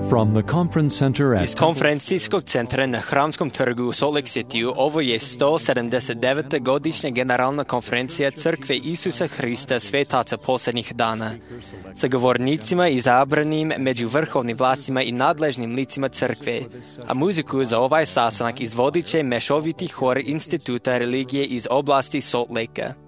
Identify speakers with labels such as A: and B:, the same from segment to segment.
A: From the conference center at
B: Iz konferencijskog centra na Hramskom trgu u Salt Lake Cityu ovo je 179. godišnja generalna konferencija Crkve Isusa Hrista svetaca posljednjih dana, sa govornicima izabranim među vrhovnim vlastima i nadležnim licima crkve, a muziku za ovaj sastanak izvodit će mešoviti hor Instituta religije iz oblasti Salt Lakea.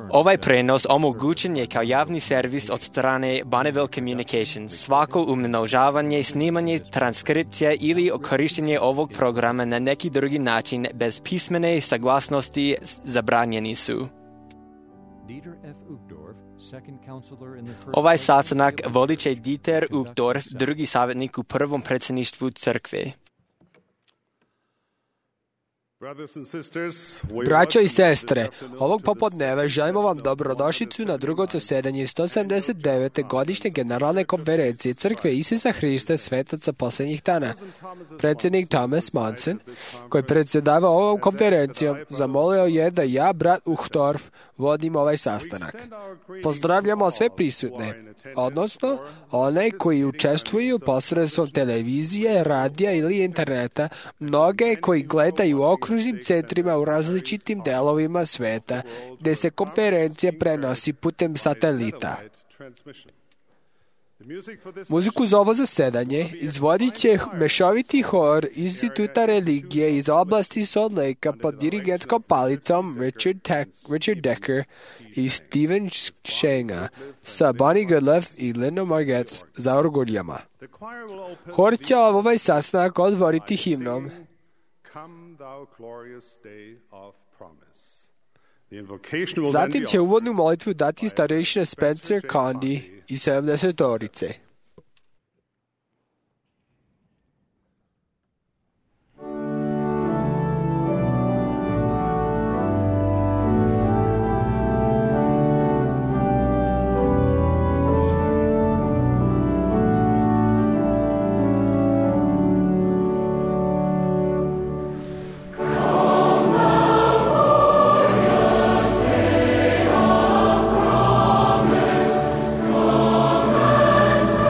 B: Ovaj prenos omogućen je kao javni servis od strane Bonneville Communications. Svako umnožavanje, snimanje, transkripcija ili korištenje ovog programa na neki drugi način bez pismene saglasnosti zabranjeni su. Ovaj sastanak vodit će Dieter Uchtdorf, drugi savjetnik u prvom predsjedništvu crkve.
C: Braćo i sestre, ovog popodneva želimo vam dobrodošlicu na drugo zasedanje 179. godišnje generalne konferencije Crkve Isusa Hrista svetaca posljednjih dana. Predsjednik Thomas Monson, koji predsjedava ovom konferencijom, zamolio je da ja, brat Uchtdorf, vodim ovaj sastanak. Pozdravljamo sve prisutne, odnosno one koji učestvuju posredstvom televizije, radija ili interneta, mnoge koji gledaju u okružnim centrima u različitim delovima sveta, gdje se konferencija prenosi putem satelita. Muziku za ovo zasedanje izvodit će mešoviti hor Instituta religije iz oblasti Salt Lakea pod dirigentskom palicom Richard Decker i Steven Shenga sa Bonnie Goodlove i Linda Margetts za orguljama. Hor će ovaj sastanak otvoriti himnom Zatim će uvodnu molitvu dati starejšina Spencer Condi i 70-orice.
D: Come as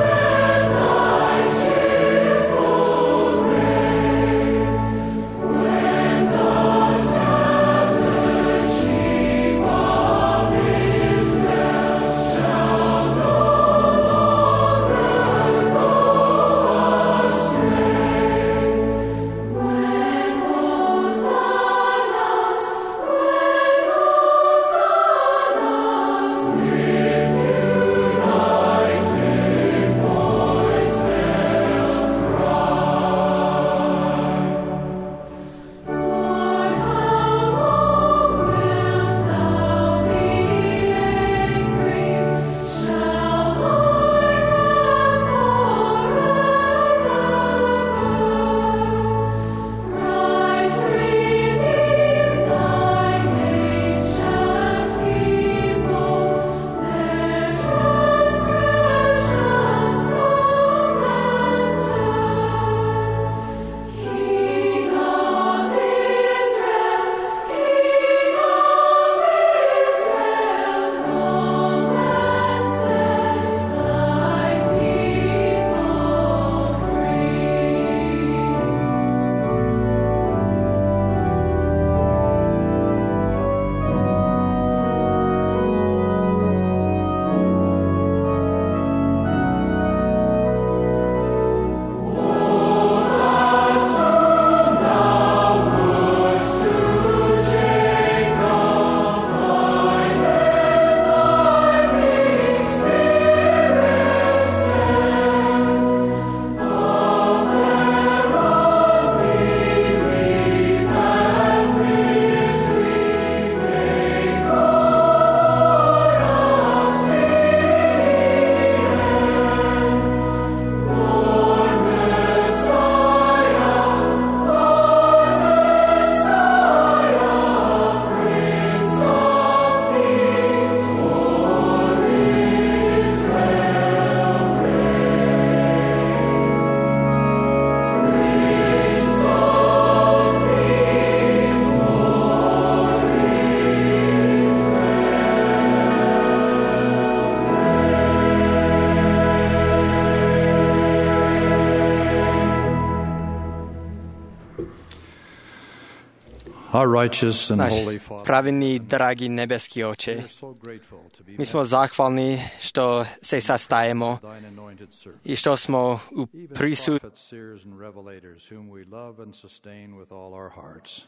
D: Our righteous and
B: Naš
D: holy Father,
B: pravedni i dragi nebeski Oče,
D: we are so grateful to be
B: mi smo zahvalni što se sastajemo
D: thine anointed servant.
B: i što smo u
D: Even
B: prisutnosti
D: prophets, seers, and revelators, whom we love and sustain with all our hearts.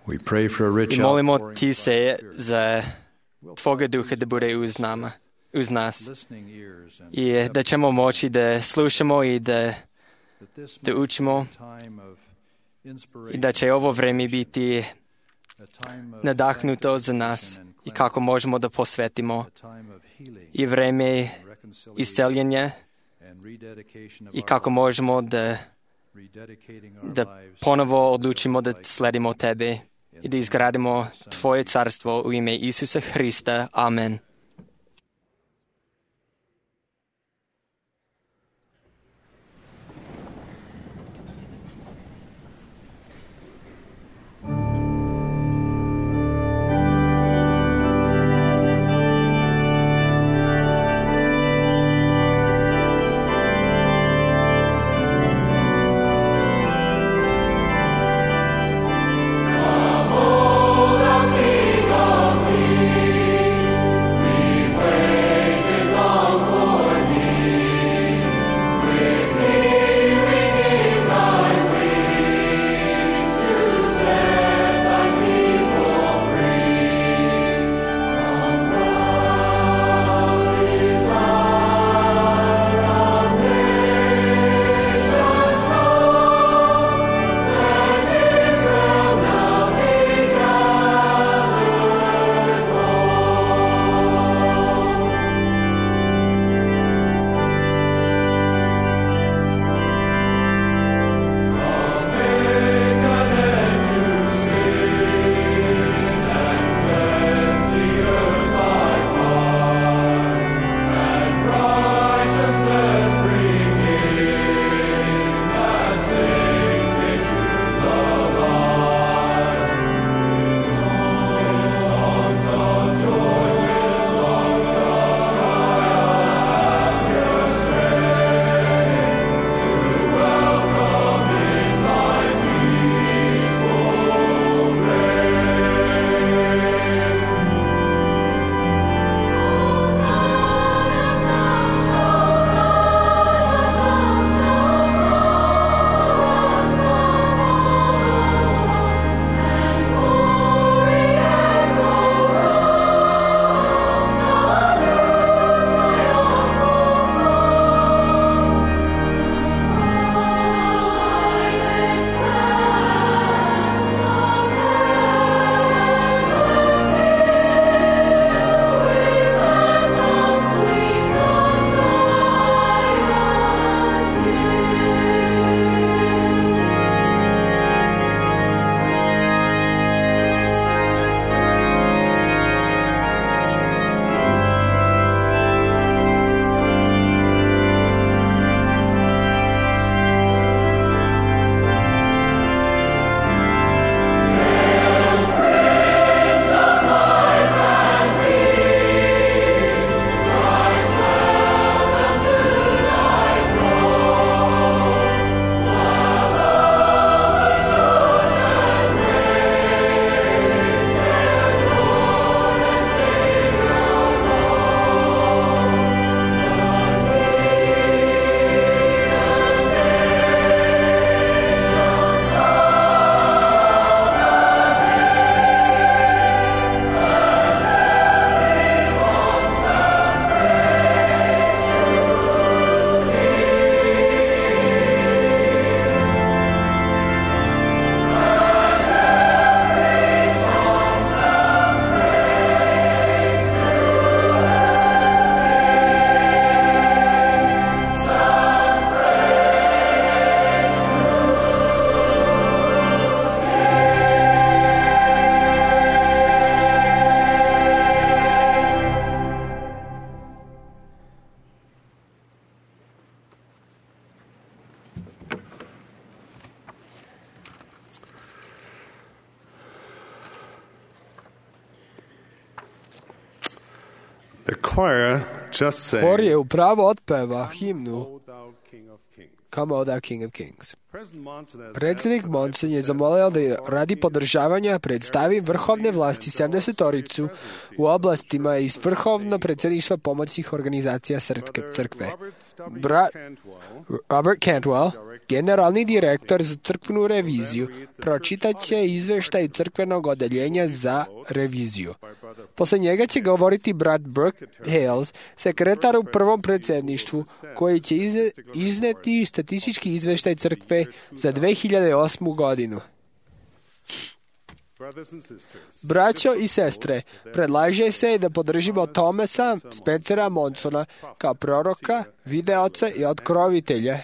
D: We pray for a rich
B: i molimo
D: outpouring
B: Ti
D: of
B: se
D: thy Spirit,
B: za Tvoga duha da bude uz nas
D: listening ears, and
B: i da ćemo moći da slušamo i da
D: that this
B: da
D: might
B: učimo
D: be a time of
B: i
D: inspiration,
B: da će ovo vreme biti
D: a time of
B: nadahnuto za nas
D: sanctification and
B: i kako možemo da posvetimo
D: a time of healing
B: i vreme
D: and reconciliation
B: isceljenja
D: and rededication of
B: i
D: our
B: kako
D: lives,
B: možemo da
D: rededicating our
B: da
D: lives
B: ponovo odlučimo da sledimo Tebe i da izgradimo Tvoje carstvo u ime Isusa Hrista. Amen.
E: The choir just sang,
C: Hor je upravo otpeva himnu Come, O thou King of Kings. Predsjednik Monson je zamolio da radi podržavanja predstavi vrhovne vlasti 70-toricu u oblastima iz vrhovno predsjedništva pomoćnih organizacija crkve. Robert Cantwell, generalni direktor za crkvenu reviziju, pročitat će izveštaj crkvenog odeljenja za reviziju. Posle njega će govoriti brat Brooke Hales, sekretar u prvom predsjedništvu, koji će izneti statistički izveštaj crkve za 2008. godinu. Braćo i sestre, predlaže se da podržimo Thomasa Spencera Monsona kao proroka, videoca i otkrovitelja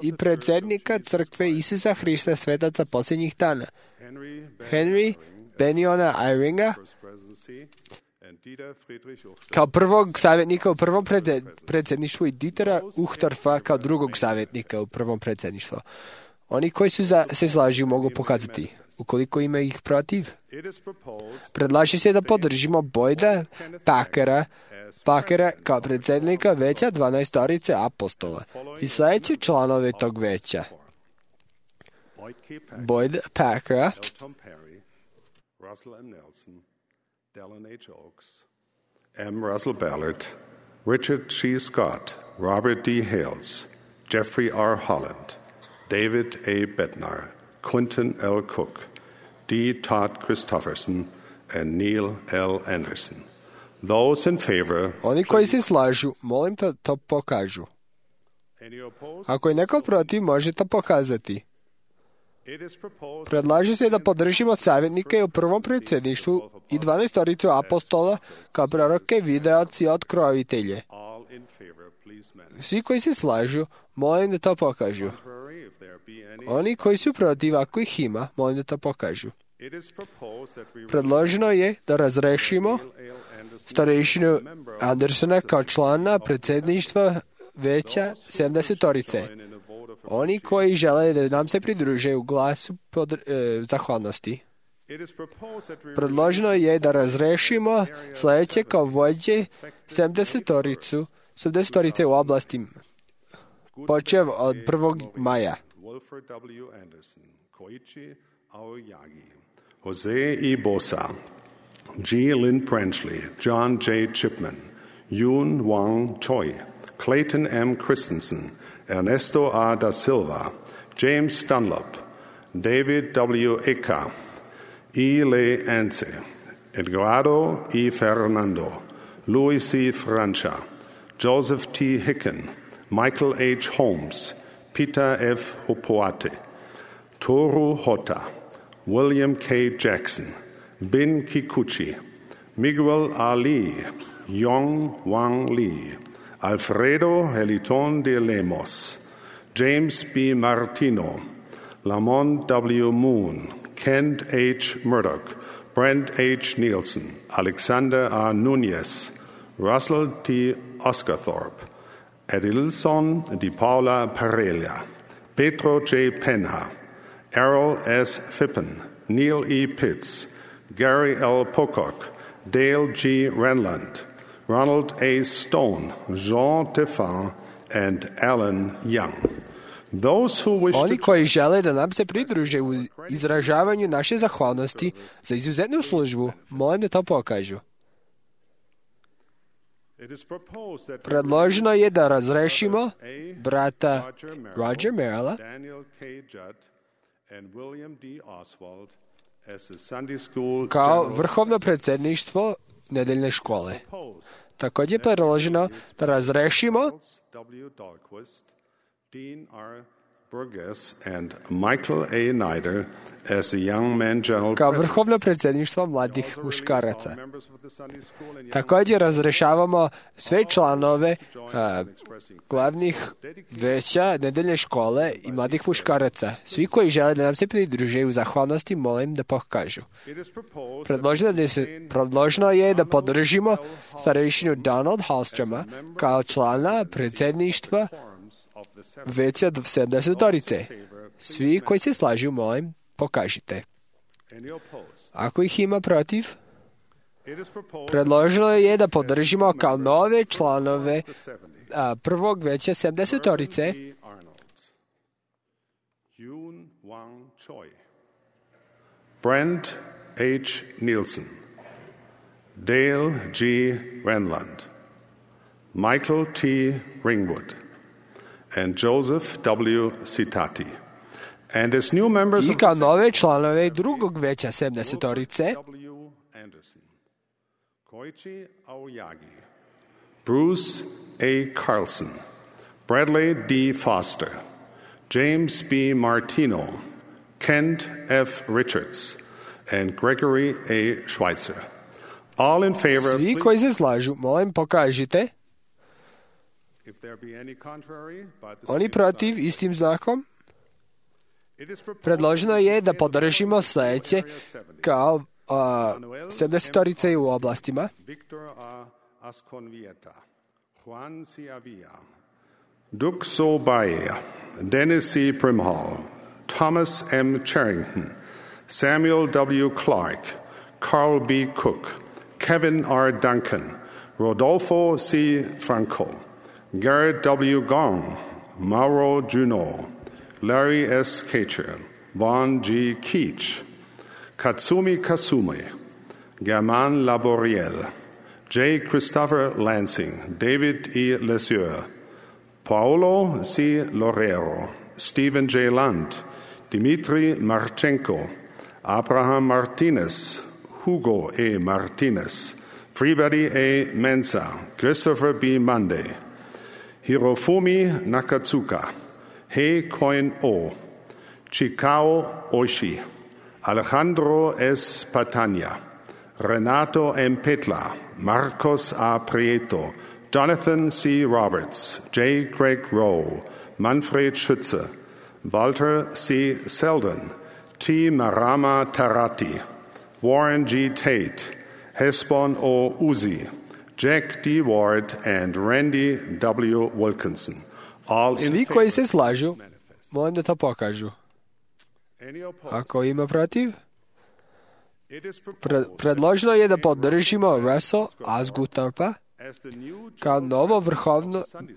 C: i predsjednika crkve Isusa Hrista svetaca posljednjih dana, Henry Beniona Eyringa, kao prvog savjetnika u prvom predsjedništvu i Dietera Uchtdorfa kao drugog savjetnika u prvom predsjedništvu. Oni koji se slažu mogu pokazati. Ukoliko ima ih protiv, predlaže se da podržimo Boyda Packera kao predsjednika veća 12-torice apostola i sljedeće članove tog veća. Boyd Packera,
E: Russell M. Nelson, Dallin H. Oaks, M. Russell Ballard, Richard G. Scott, Robert D. Hales, Jeffrey R. Holland, David A. Bednar, Quentin L. Cook, D. Todd Christofferson, and Neil L. Anderson. Those in favor...
C: Oni koji se slažu, molim da to pokažu. Ako je neko protiv, može to pokazati. Predlaže se da podržimo savjetnike u prvom predsjedništvu i 12-toricu apostola kao proroke, videoci i otkrovitelje. Svi koji se slažu, molim da to pokažu. Oni koji su protiv, ako ih ima, molim da to pokažu. Predloženo je da razrešimo starešinu Andersona kao člana predsjedništva veća 70-torice. Oni koji žele da nam se pridruže u glasu zahvalnosti. Predloženo je da razrešimo sljedeće kao vođe 70-torice u oblasti počev od 1. maja.
E: Jose E. Bosa, G. Lynn Branchley, John J. Chipman, Yoon Wang Choi, Clayton M. Christensen, Ernesto A. da Silva, James Dunlop, David W. Eka, E. Le Ance, Edgardo E. Fernando, Louis C. Francia, Joseph T. Hicken, Michael H. Holmes, Peter F. Hopoate, Toru Hota, William K. Jackson, Bin Kikuchi, Miguel Ali, Yong Wang Lee, Alfredo Heliton de Lemos, James B. Martino, Lamont W. Moon, Kent H. Murdoch, Brent H. Nielsen, Alexander R. Nunez, Russell T. Oscarthorpe, Edilson Di Paula Parella, Pedro J. Penha, Errol S. Fippen, Neil E. Pitts, Gary L. Pocock, Dale G. Renland, Ronald A. Stone, Jean Tefan, and Alan Young.
C: Oni koji žele da nam se pridruže u izražavanju naše zahvalnosti za izuzetnu službu, molim da to pokažu. Predloženo je da razrešimo brata Roger Merrilla, kao vrhovno predsjedništvo nedeljne škole. Također je predloženo da razrešimo
E: Dean R. Burgess and Michael A. Nider as the Young Men General
C: kao vrhovno predsjedništvo mladih muškaraca. Također razrešavamo sve članove glavnih veća nedeljne škole i mladih muškaraca. Svi koji žele da nam se pridruže u zahvalnosti, molim da pokažu. Predloženo je da podržimo starešinu Donald Hallstroma kao člana predsjedništva veća 70-torice. Svi koji se slažu, molim, pokažite. Ako ih ima protiv, predloženo je da podržimo kao nove članove prvog veća 70-torice
E: Wang Choi, Brent H. Nielsen, Dale G. Renland, Michael T. Ringwood, and Joseph W. Citati. And as new members
C: I
E: of
C: kao nove članove drugog veća 70-orice,
E: W. Anderson, Koichi Aoyagi, Bruce A. Carlson, Bradley D. Foster, James B. Martino, Kent F. Richards, and Gregory A. Schweitzer. All in favor of...
C: svi koji se slažu, molim pokažite.
E: If there be any contrary, by the
C: Oni
E: same
C: protiv
E: sign.
C: istim znakom.
E: It is proposed
C: Predloženo je da podržimo sledeće kao 70-orice u oblastima.
E: Victor A. Asconvieta, Juan C. Avila, Duke So Baea, Dennis C. Primhall, Thomas M. Charrington, Samuel W. Clark, Carl B. Cook, Kevin R. Duncan, Rodolfo C. Franco, Garrett W. Gong, Mauro Junot, Larry S. Kacher, Vaughn G. Keach, Katsumi Kasumi, Germain Laboriel, J. Christopher Lansing, David E. Lesieur, Paolo C. Lorero, Stephen J. Lunt, Dmitry Marchenko, Abraham Martinez, Hugo A. Martinez, Freebody A. Mensa, Christopher B. Monday, Hirofumi Nakatsuka, Hei Koin O, Chikao Oishi, Alejandro S. Patania, Renato M. Petla, Marcos A. Prieto, Jonathan C. Roberts, J. Craig Rowe, Manfred Schütze, Walter C. Selden, T. Marama Tarati, Warren G. Tate, Hesbon O. Uzi, Jack D. Ward, and Randy W. Wilkinson. All in
C: Svi
E: favor.
C: koji se slažu, molim da to pokažu.
E: Any opposed?
C: Ako ima protiv,
E: It is proposed
C: predloženo je da podržimo Russell Asguthorpa
E: as the new
C: kao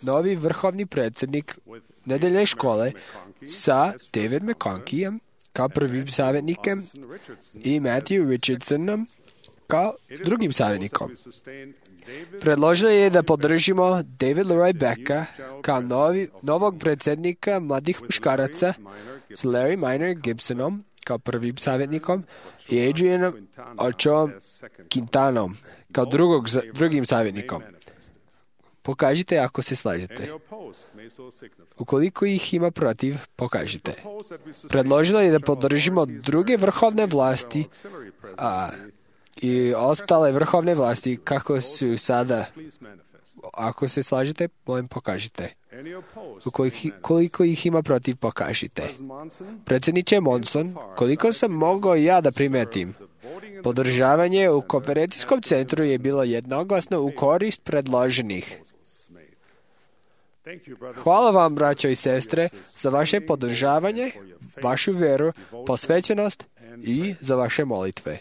C: novi vrhovni predsjednik nedeljne škole sa David McConkeyem kao prvim savjetnikem i Matthew Richardsonom kao drugim savjetnikom. Predloženo je da podržimo David Leroy Becka kao novog predsjednika mladih muškaraca s Larry Minor Gibsonom kao prvim savjetnikom i Adrianom Ochoom Quintanom kao drugim savjetnikom. Pokažite ako se slažete. Ukoliko ih ima protiv, pokažite. Predloženo je da podržimo druge vrhovne vlasti i ostale vrhovne vlasti kako su sada. Ako se slažete, molim pokažite. Koliko ih ima protiv, pokažite. Predsjedniče Monson, koliko sam mogao ja da primetim, podržavanje u konferencijskom centru je bilo jednoglasno u korist predloženih. Hvala vam, braćo i sestre, za vaše podržavanje, vašu vjeru, posvećenost i za vaše molitve.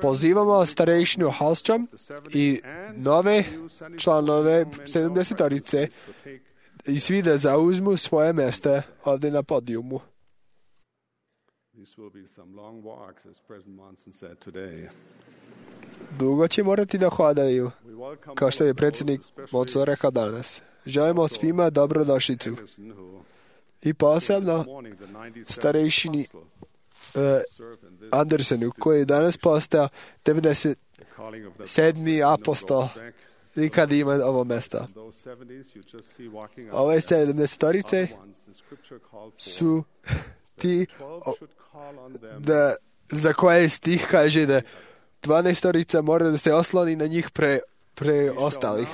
C: Pozivamo starejšinu Hallstrom i nove članove 70-orice i svi da zauzmu svoje mjesta ovdje na podijumu. Dugo će morati da hodaju, kao što je predsjednik Monson rekao danas. Želimo svima dobrodošlicu. I posebno starejšini Andersonu, koji je danas postao 97. apostol i kad ima ovo mjesto. Ove 70-orice su ti za koje stih kaže da 12-orica mora da se osloni na njih pre ostalih.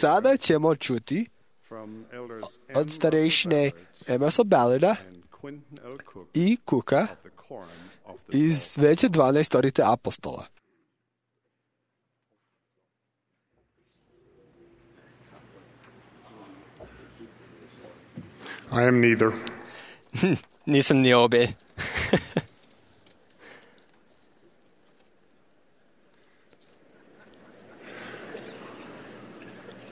C: Sada ćemo čuti od starejšine Emerson Ballarda i Cooka iz veće 12-orice apostola.
E: I am neither.
B: Nisam ni obe.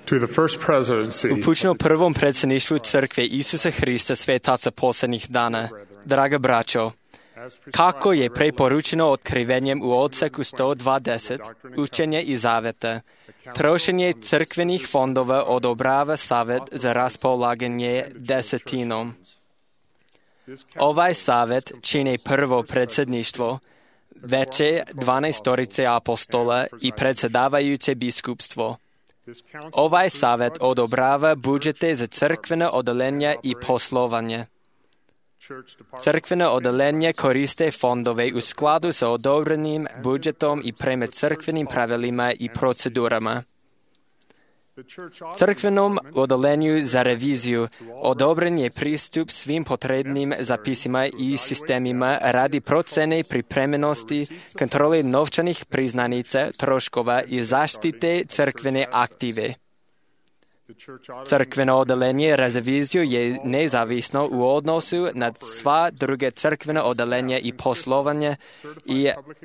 E: To the first presidency
B: Upućeno prvom predsjedništvu crkve Isusa Hrista svetaca posljednjih dana. Draga braćo, kako je preporučeno otkrivenjem u odseku 120, učenje i zaveta, trošenje crkvenih fondova odobrava Savet za raspolaganje desetinom. Ovaj savet čini prvo predsjedništvo, veće 12 apostola i predsjedavajuće biskupstvo. Ovaj savet odobrava budžete za crkvena odeljenja i poslovanje. Crkvena odeljenja koriste fondove u skladu sa odobrenim budžetom i prema crkvenim pravilima i procedurama. Crkvenom odeljenju za reviziju odobren je pristup svim potrebnim zapisima i sistemima radi procene pripremljenosti, kontrole novčanih priznanica, troškova i zaštite crkvene aktive. Crkveno odeljenje za reviziju je nezavisno u odnosu na sva druga crkvena odeljenja i poslovanja,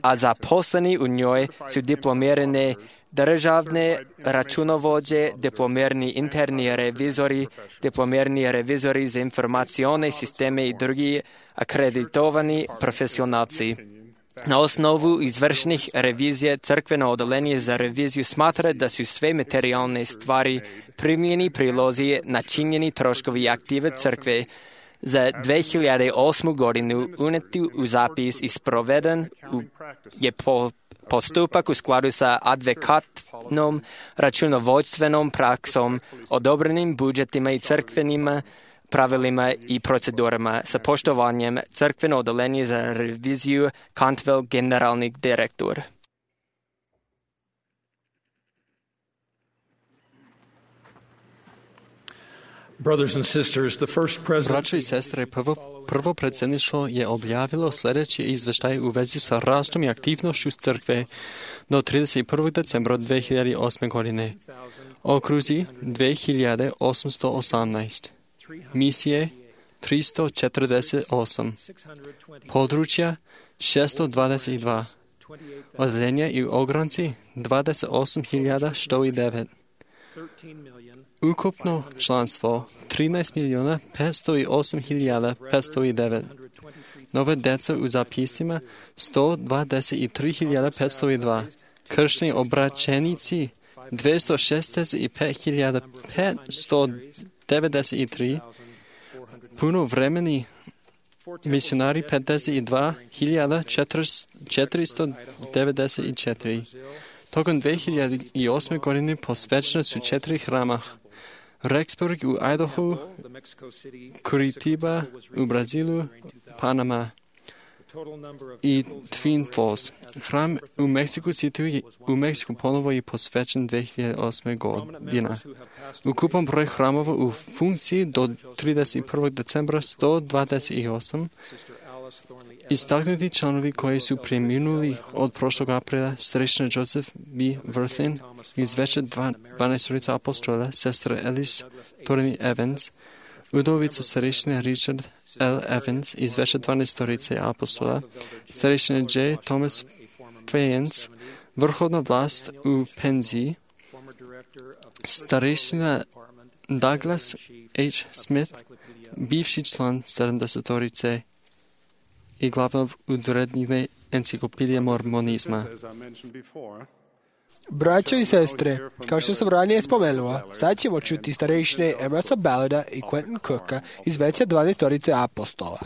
B: a zaposleni u njoj su diplomirane državne računovođe, diplomirani interni revizori za informacione sisteme i drugi akreditovani profesionalci. Na osnovu izvršnih revizija crkveno odeljenje za reviziju smatra da su sve materijalne stvari, primljeni prilozi, načinjeni troškovi i aktive crkve za 2008. godinu uneti u zapis i sproveden je postupak u skladu sa advokatnom računovodstvenom praksom, odobrenim budžetima i crkvenim pravilima i procedurama sa poštovanjem crkveno odeljenje za reviziju Cantwell, generalni direktor.
F: Braćo i sestre, prvo predsjedništvo je objavilo sljedeći izvještaj u vezi sa rastom i aktivnošću crkve do 31. decembra 2008. godine. Okruzi 2818. Misije 348. Područja 622. Odeljenja i ogranci 28.109. Ukupno članstvo 13.508.509. Nove deca u zapisima 123.502. Kršni obraćenici 265.593. Punovremeni misionari 52.494. Tokom 2008. godine posvećene su 4 hrama. Rexburg u Idaho, Curitiba u Brazilu, Panama i Twin Falls. Hram u Mexico City u Mexiku ponovo je posvećen 2008. godina. Ukupan broj hramova u funkciji do 31. decembra 128. Istaknuti članovi koji su preminuli od prošlog aprila, starešina Joseph B. Worthen iz veće 12 apostola, sestra Alice Torini Evans, udovica starešina Richard L. Evans iz veće 12 apostola, starešina J. Thomas Fayens, vrhovna vlast u penziji, starešina Douglas H. Smith, bivši član 70 i glavnog urednika enciklopedije mormonizma.
C: Braćo i sestre, kao što sam ranije spomenula, sad ćemo čuti starešine Emersa Ballarda i Quentin Cooka iz veće 12 apostola.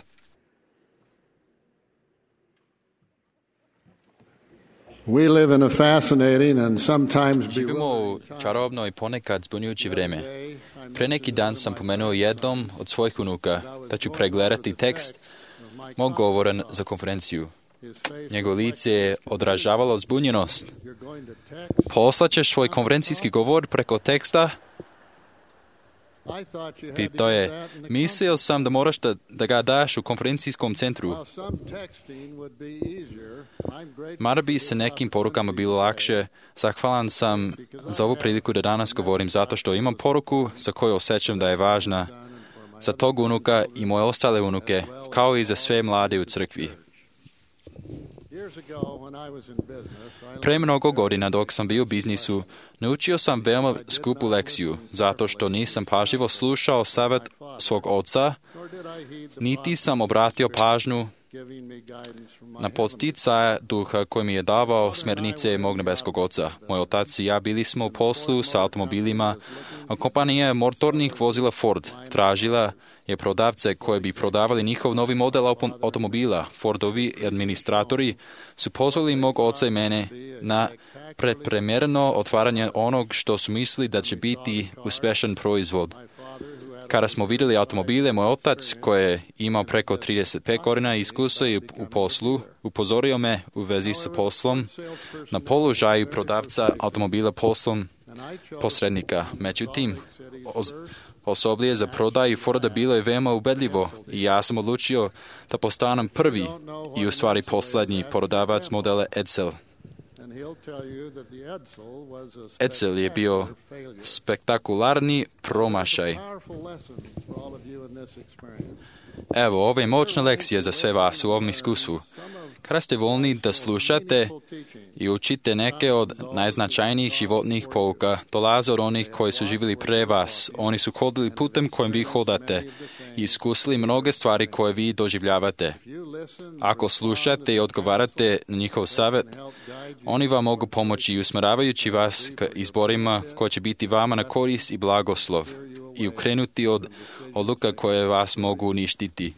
G: Živimo u čarobno i ponekad zbunjujuće vrijeme. Pre neki dan sam pomenuo jednom od svojih unuka da ću pregledati tekst mog govora za konferenciju. Njegovo lice je odražavalo zbunjenost. Poslaćeš svoj konferencijski govor preko teksta? Pitao je, mislio sam da moraš da ga daš u konferencijskom centru. Mada bi se nekim porukama bilo lakše, zahvalan sam za ovu priliku da danas govorim zato što imam poruku za koju osjećam da je važna za tog unuka i moje ostale unuke, kao i za sve mlade u crkvi. Pre mnogo godina dok sam bio u biznisu, naučio sam veoma skupu lekciju, zato što nisam pažljivo slušao savjet svog oca, niti sam obratio pažnju na podsticaje duha koji mi je davao smjernice mog nebeskog oca. Moj otac i ja bili smo u poslu sa automobilima, a kompanija motornih vozila Ford tražila je prodavce koji bi prodavali njihov novi model automobila. Fordovi administratori su pozvali mog oca i mene na prepremjerno otvaranje onog što su mislili da će biti uspješan proizvod. Kada smo vidjeli automobile, moj otac, koji je imao preko 35 godina iskustva u poslu, upozorio me u vezi sa poslom na položaju prodavca automobila poslom posrednika. Međutim, osoblje za prodaju Forda bilo je veoma ubedljivo i ja sam odlučio da postanem prvi i u stvari posljednji prodavac modela Edsel. Edsel je bio spektakularni promašaj. Evo, ove moćne lekcije za sve vas u ovom iskustvu. Kada ste voljni da slušate i učite neke od najznačajnijih životnih pouka, dolaze od onih koji su živjeli pre vas. Oni su hodili putem kojim vi hodate i iskusili mnoge stvari koje vi doživljavate. Ako slušate i odgovarate na njihov savjet, oni vam mogu pomoći i usmjeravajući vas k izborima koji će biti vama na korist i blagoslov i ukrenuti od odluka koje vas mogu uništiti.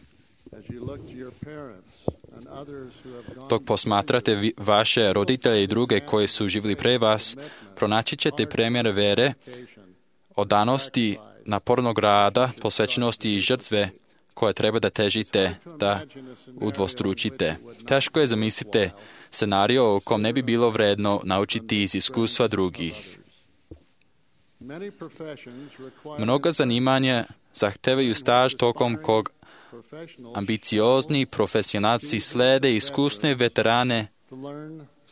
G: Dok posmatrate vaše roditelje i druge koji su živjeli pre vas, pronaći ćete primjere vere, odanosti, napornog rada, posvećenosti i žrtve koje treba da težite, da udvostručite. Teško je zamislite scenario u kom ne bi bilo vredno naučiti iz iskustva drugih. Mnoga zanimanja zahtevaju staž tokom kog ambiciozni profesionalci slede iskusne veterane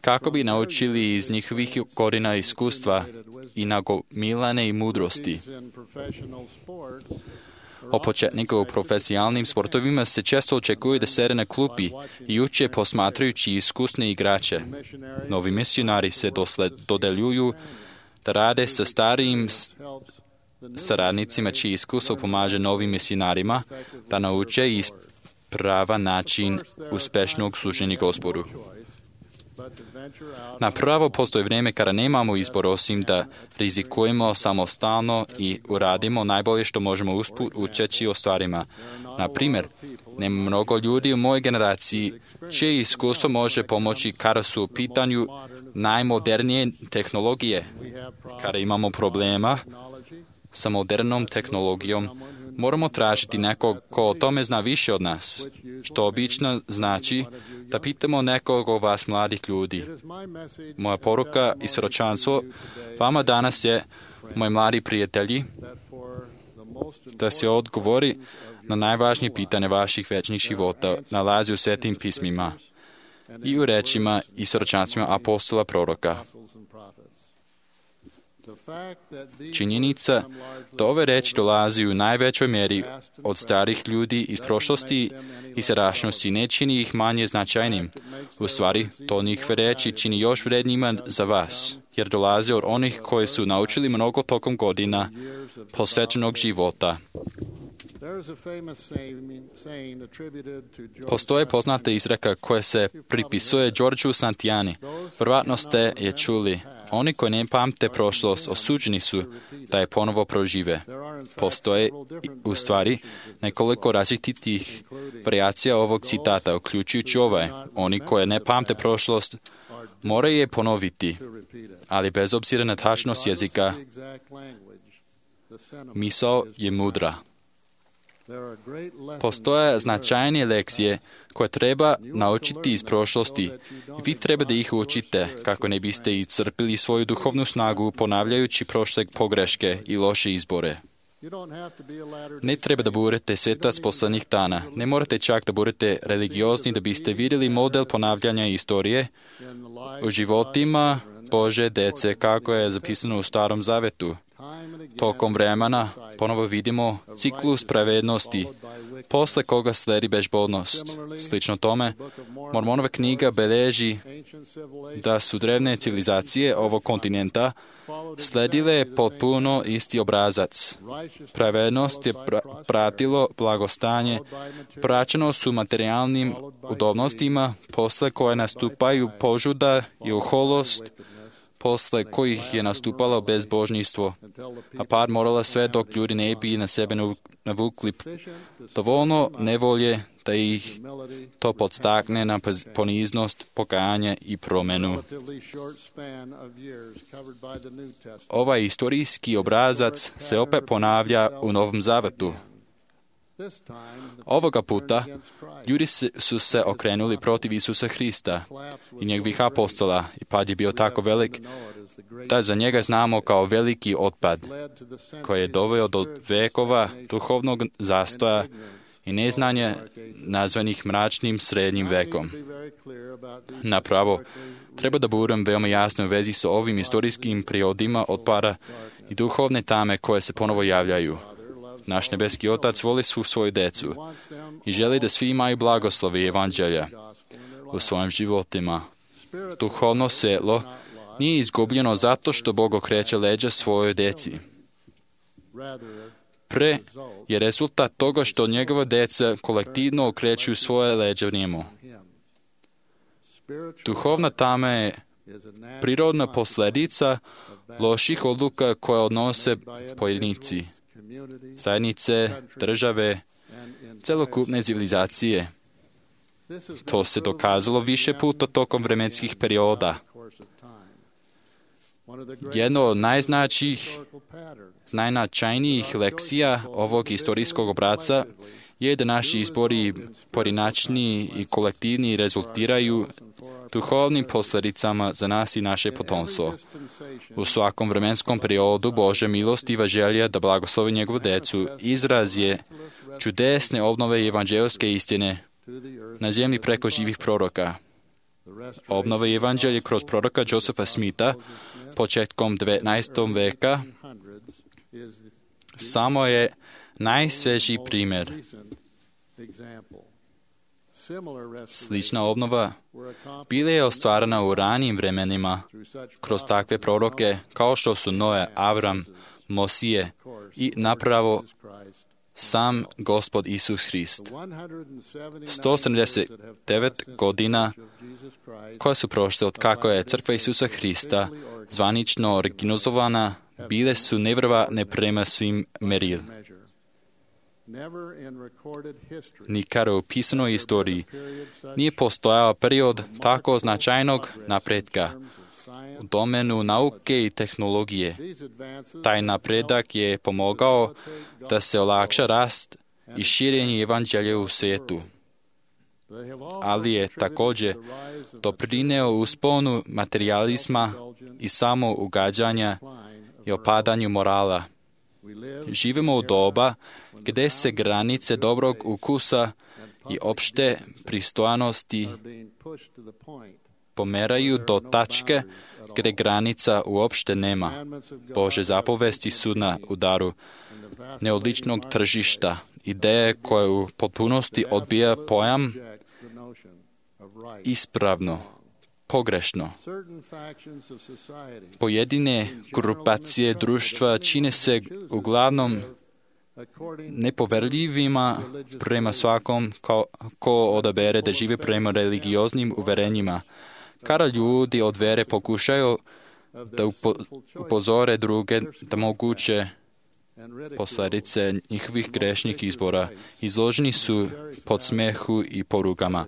G: kako bi naučili iz njihovih godina iskustva i nagomilane i mudrosti. Od početnika u profesionalnim sportovima se često očekuje da sede na klupi i uče posmatrajući iskusne igrače. Novi misionari se dodeljuju da rade sa starijim saradnicima čiji iskustvo pomaže novim misionarima da nauče ispravan način uspešnog služenja Gospodu. Napravo postoji vrijeme kada nemamo izbor osim da rizikujemo samostalno i uradimo najbolje što možemo usput učeći o stvarima. Na primjer, nema mnogo ljudi u mojoj generaciji čije iskustvo može pomoći kada su u pitanju najmodernije tehnologije. Kada imamo problema sa modernom tehnologijom, moramo tražiti nekog ko o tome zna više od nas, što obično znači da pitamo nekog od vas mladih ljudi. Moja poruka i svjedočanstvo vama danas je, moji mladi prijatelji, da se odgovori na najvažnije pitanje vaših večnih života nalazi u svetim pismima i u rečima i svjedočanstvima apostola proroka. Činjenica da ove reči dolazi u najvećoj mjeri od starih ljudi iz prošlosti i sadašnjosti ne čini ih manje značajnim. U stvari, to njihove reči čini još vrednijima za vas, jer dolaze od onih koji su naučili mnogo tokom godina posvećenog života. Postoje poznata izreka koja se pripisuje Georgeu Santayani. Vjerojatno ste je čuli. Oni koji ne pamte prošlost osuđeni su da je ponovo prožive. Postoje u stvari nekoliko različitih varijacija ovog citata, uključujući ovaj. Oni koji ne pamte prošlost moraju je ponoviti, ali bez obzira na tačnost jezika, misao je mudra. Postoje značajne lekcije koje treba naučiti iz prošlosti i vi treba da ih učite kako ne biste iscrpili svoju duhovnu snagu ponavljajući prošle pogreške i loše izbore. Ne treba da budete svetac poslednjih dana. Ne morate čak da budete religiozni da biste vidjeli model ponavljanja istorije u životima Bože dece kako je zapisano u Starom Zavetu. Tokom vremena ponovo vidimo ciklus pravednosti posle koga sledi bezbolnost. Slično tome, Mormonova knjiga beleži da su drevne civilizacije ovog kontinenta sledile potpuno isti obrazac. Pravednost je pratilo blagostanje, praćeno su materijalnim udobnostima, posle koje nastupaju požuda i oholost, posle kojih je nastupalo bezbožništvo, a par morala sve dok ljudi ne bi na sebe navukli dovoljno nevolje da ih to podstakne na poniznost, pokajanje i promenu. Ovaj istorijski obrazac se opet ponavlja u Novom Zavetu. Ovoga puta ljudi su se okrenuli protiv Isusa Hrista i njegovih apostola i pad je bio tako velik da za njega znamo kao veliki otpad koji je doveo do vekova duhovnog zastoja i neznanja nazvanih mračnim srednjim vekom. Napravo, treba da budem veoma jasno u vezi sa ovim istorijskim periodima otpada i duhovne tame koje se ponovo javljaju. Naš nebeski Otac voli svu svoju decu i želi da svi imaju blagoslovi evanđelja u svojim životima. Duhovno svjetlo nije izgubljeno zato što Bog okreće leđa svojoj deci. Pre je rezultat toga što njegova deca kolektivno okreću svoje leđa njemu. Duhovna tama je prirodna posljedica loših odluka koje odnose pojedinci, zajednice, države, celokupne civilizacije. To se dokazalo više puta tokom vremenskih perioda. Jedno od najznačajnijih lekcija ovog istorijskog obraca je da naši izbori pojedinačni i kolektivni rezultiraju duhovnim posljedicama za nas i naše potomstvo. U svakom vremenskom periodu Božja milostiva želja da blagoslovi njegovu decu izraz je čudesne obnove evanđelske istine na zemlji preko živih proroka. Obnova evanđelja kroz proroka Josepha Smitha početkom 19. veka samo je najsvežiji primjer. Slična obnova bila je ostvarena u ranijim vremenima kroz takve proroke kao što su Noe, Avram, Mosije i napravo sam Gospod Isus Hrist. 179 godina koje su prošle od kako je crkva Isusa Hrista zvanično organizovana, bile su nevjerovatne prema svim meril. Nikad u pisanoj istoriji nije postojao period tako značajnog napretka u domenu nauke i tehnologije. Taj napredak je pomogao da se olakša rast i širenje evanđelja u svijetu, ali je također doprineo usponu materijalizma i samougađanja i opadanju morala. Živimo u doba gdje se granice dobrog ukusa i opšte pristojnosti pomeraju do tačke gdje granica uopšte nema. Bože zapovesti su na udaru neodličnog tržišta, ideje koje u potpunosti odbija pojam ispravno, pogrešno. Pojedine grupacije društva čine se uglavnom nepoverljivima prema svakom ko odabere da žive prema religioznim uverenjima. Kada ljudi od vere pokušaju da upozore druge da moguće posljedice njihovih grešnih izbora, izloženi su pod smehu i porukama.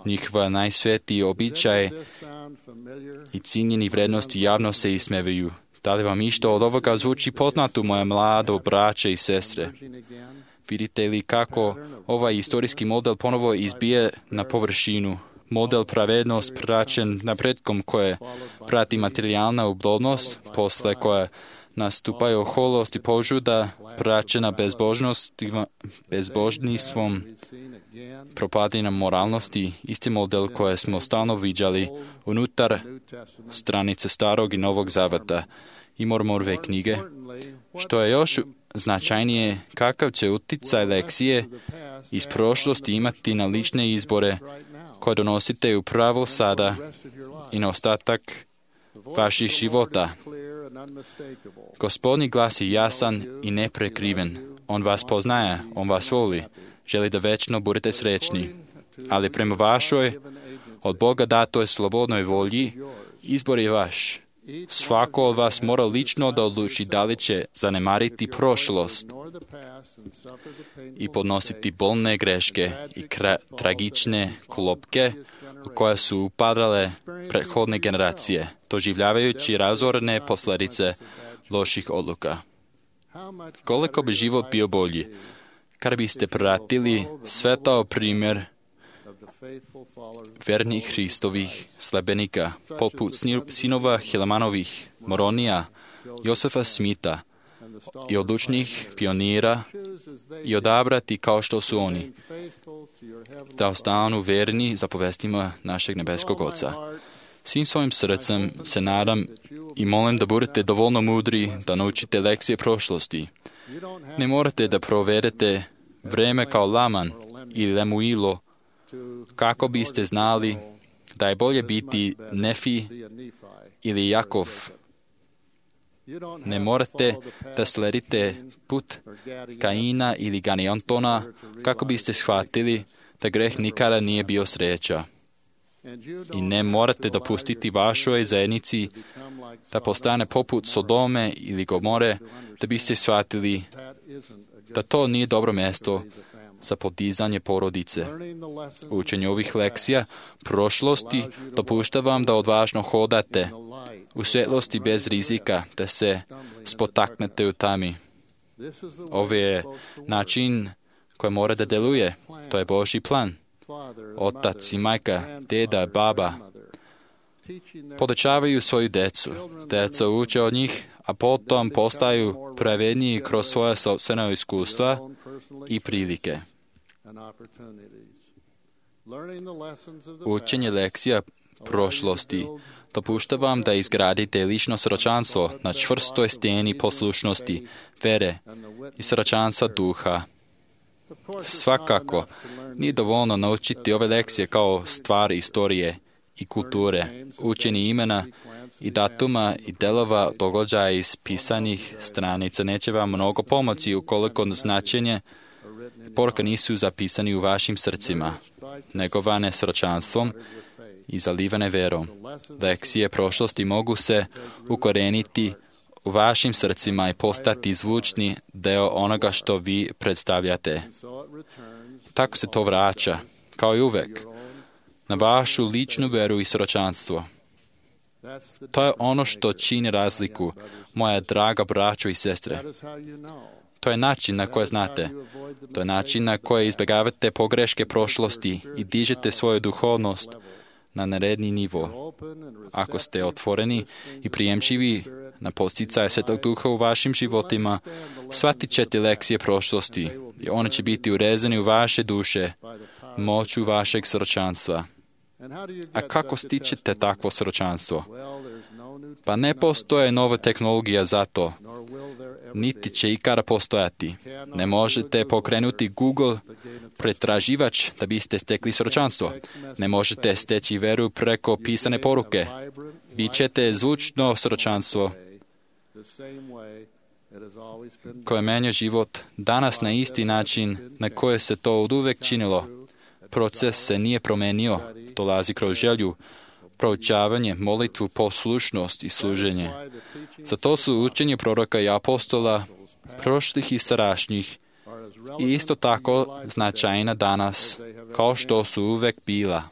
G: Njihova najsvetiji običaj i cijenjeni vrednosti javno se ismevaju. Da li vam išto od ovoga zvuči poznato, moje mlado braće i sestre? Vidite li kako ovaj istorijski model ponovo izbije na površinu? Model pravednost praćen napretkom koje prati materijalna ublodnost, posle koje nastupaju oholost i požuda, praćena bezbožnistvom, propadina moralnosti, isti model koje smo stalno viđali unutar stranice Starog i Novog Zaveta i Mormonove knjige. Što je još značajnije kakav će uticaj lekcije iz prošlosti imati na lične izbore koje donosite upravo sada i na ostatak vaših života. Gospodnji glas je jasan i neprekriven. On vas poznaje, on vas voli, želi da večno budete srećni. Ali prema vašoj, od Boga datoj slobodnoj volji, izbor je vaš. Svako od vas mora lično da odluči da li će zanemariti prošlost i podnositi bolne greške i tragične klopke u koje su upadale prethodne generacije, doživljavajući razorne posljedice loših odluka. Koliko bi život bio bolji kada biste pratili svetao primjer vernih Hristovih sledbenika, poput sinova Hilamanovih, Moronija, Josefa Smita i odlučnih pionira i odabrati kao što su oni, da ostanu verni zapovestima našeg nebeskog Oca. Svim svojim srcem se nadam i molim da budete dovoljno mudri da naučite lekcije prošlosti. Ne morate da provedete vreme kao Laman ili Lemuilo kako biste znali da je bolje biti Nefi ili Jakov. Ne morate da sledite put Kaina ili Ganijantona kako biste shvatili da greh nikada nije bio sreća. I ne morate dopustiti vašoj zajednici da postane poput Sodome ili Gomore da biste shvatili da to nije dobro mjesto za podizanje porodice. Učenje ovih lekcija prošlosti dopušta vam da odvažno hodate u svjetlosti bez rizika, da se spotaknete u tami. Ovo je način koji mora da deluje. To je Božji plan. Otac i majka, deda, baba podučavaju svoju decu. Deca uče od njih, a potom postaju pravedniji kroz svoja sopstvena iskustva i prilike. Učenje lekcija prošlosti dopušta vam da izgradite lično sročanstvo na čvrstoj steni poslušnosti, vere i sročanstva duha. Svakako, nije dovoljno naučiti ove lekcije kao stvar istorije i kulture, učenje imena i datuma i delova događaja iz pisanih stranica neće vam mnogo pomoći ukoliko značenje poruka nisu zapisani u vašim srcima, negovane sročanstvom i zalivane verom. Lekcije prošlosti mogu se ukoreniti u vašim srcima i postati zvučni deo onoga što vi predstavljate. Tako se to vraća, kao i uvek, na vašu ličnu veru i sročanstvo. To je ono što čini razliku, moja draga braćo i sestre. To je način na koji znate. To je način na koji izbjegavate pogreške prošlosti i dižete svoju duhovnost na naredni nivo. Ako ste otvoreni i prijemčivi na podsticaj Svetog Duha u vašim životima, shvatit ćete lekcije prošlosti i one će biti urezane u vaše duše, moću vašeg sročanstva. A kako stičete takvo sročanstvo? Pa ne postoje nova tehnologija za to, niti će ikada postojati. Ne možete pokrenuti Google pretraživač da biste stekli sročanstvo. Ne možete steći veru preko pisane poruke. Vi ćete zvučno sročanstvo koje menja život danas na isti način na koje se to oduvek činilo. Proces se nije promenio, dolazi kroz želju, proučavanje, molitvu, poslušnost i služenje. Zato su učenje proroka i apostola, prošlih i sadašnjih, i isto tako značajna danas, kao što su uvek bila.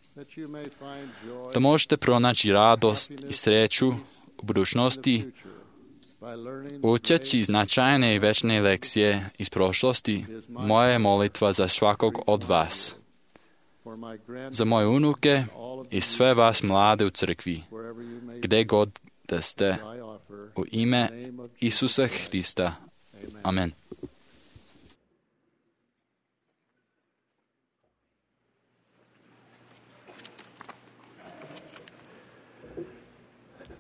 G: Da možete pronaći radost i sreću u budućnosti, učeći značajne i večne lekcije iz prošlosti, moja je molitva za svakog od vas. Za moje unuke i sve vas mlade u crkvi, gde god da ste, u ime Isusa Hrista. Amen.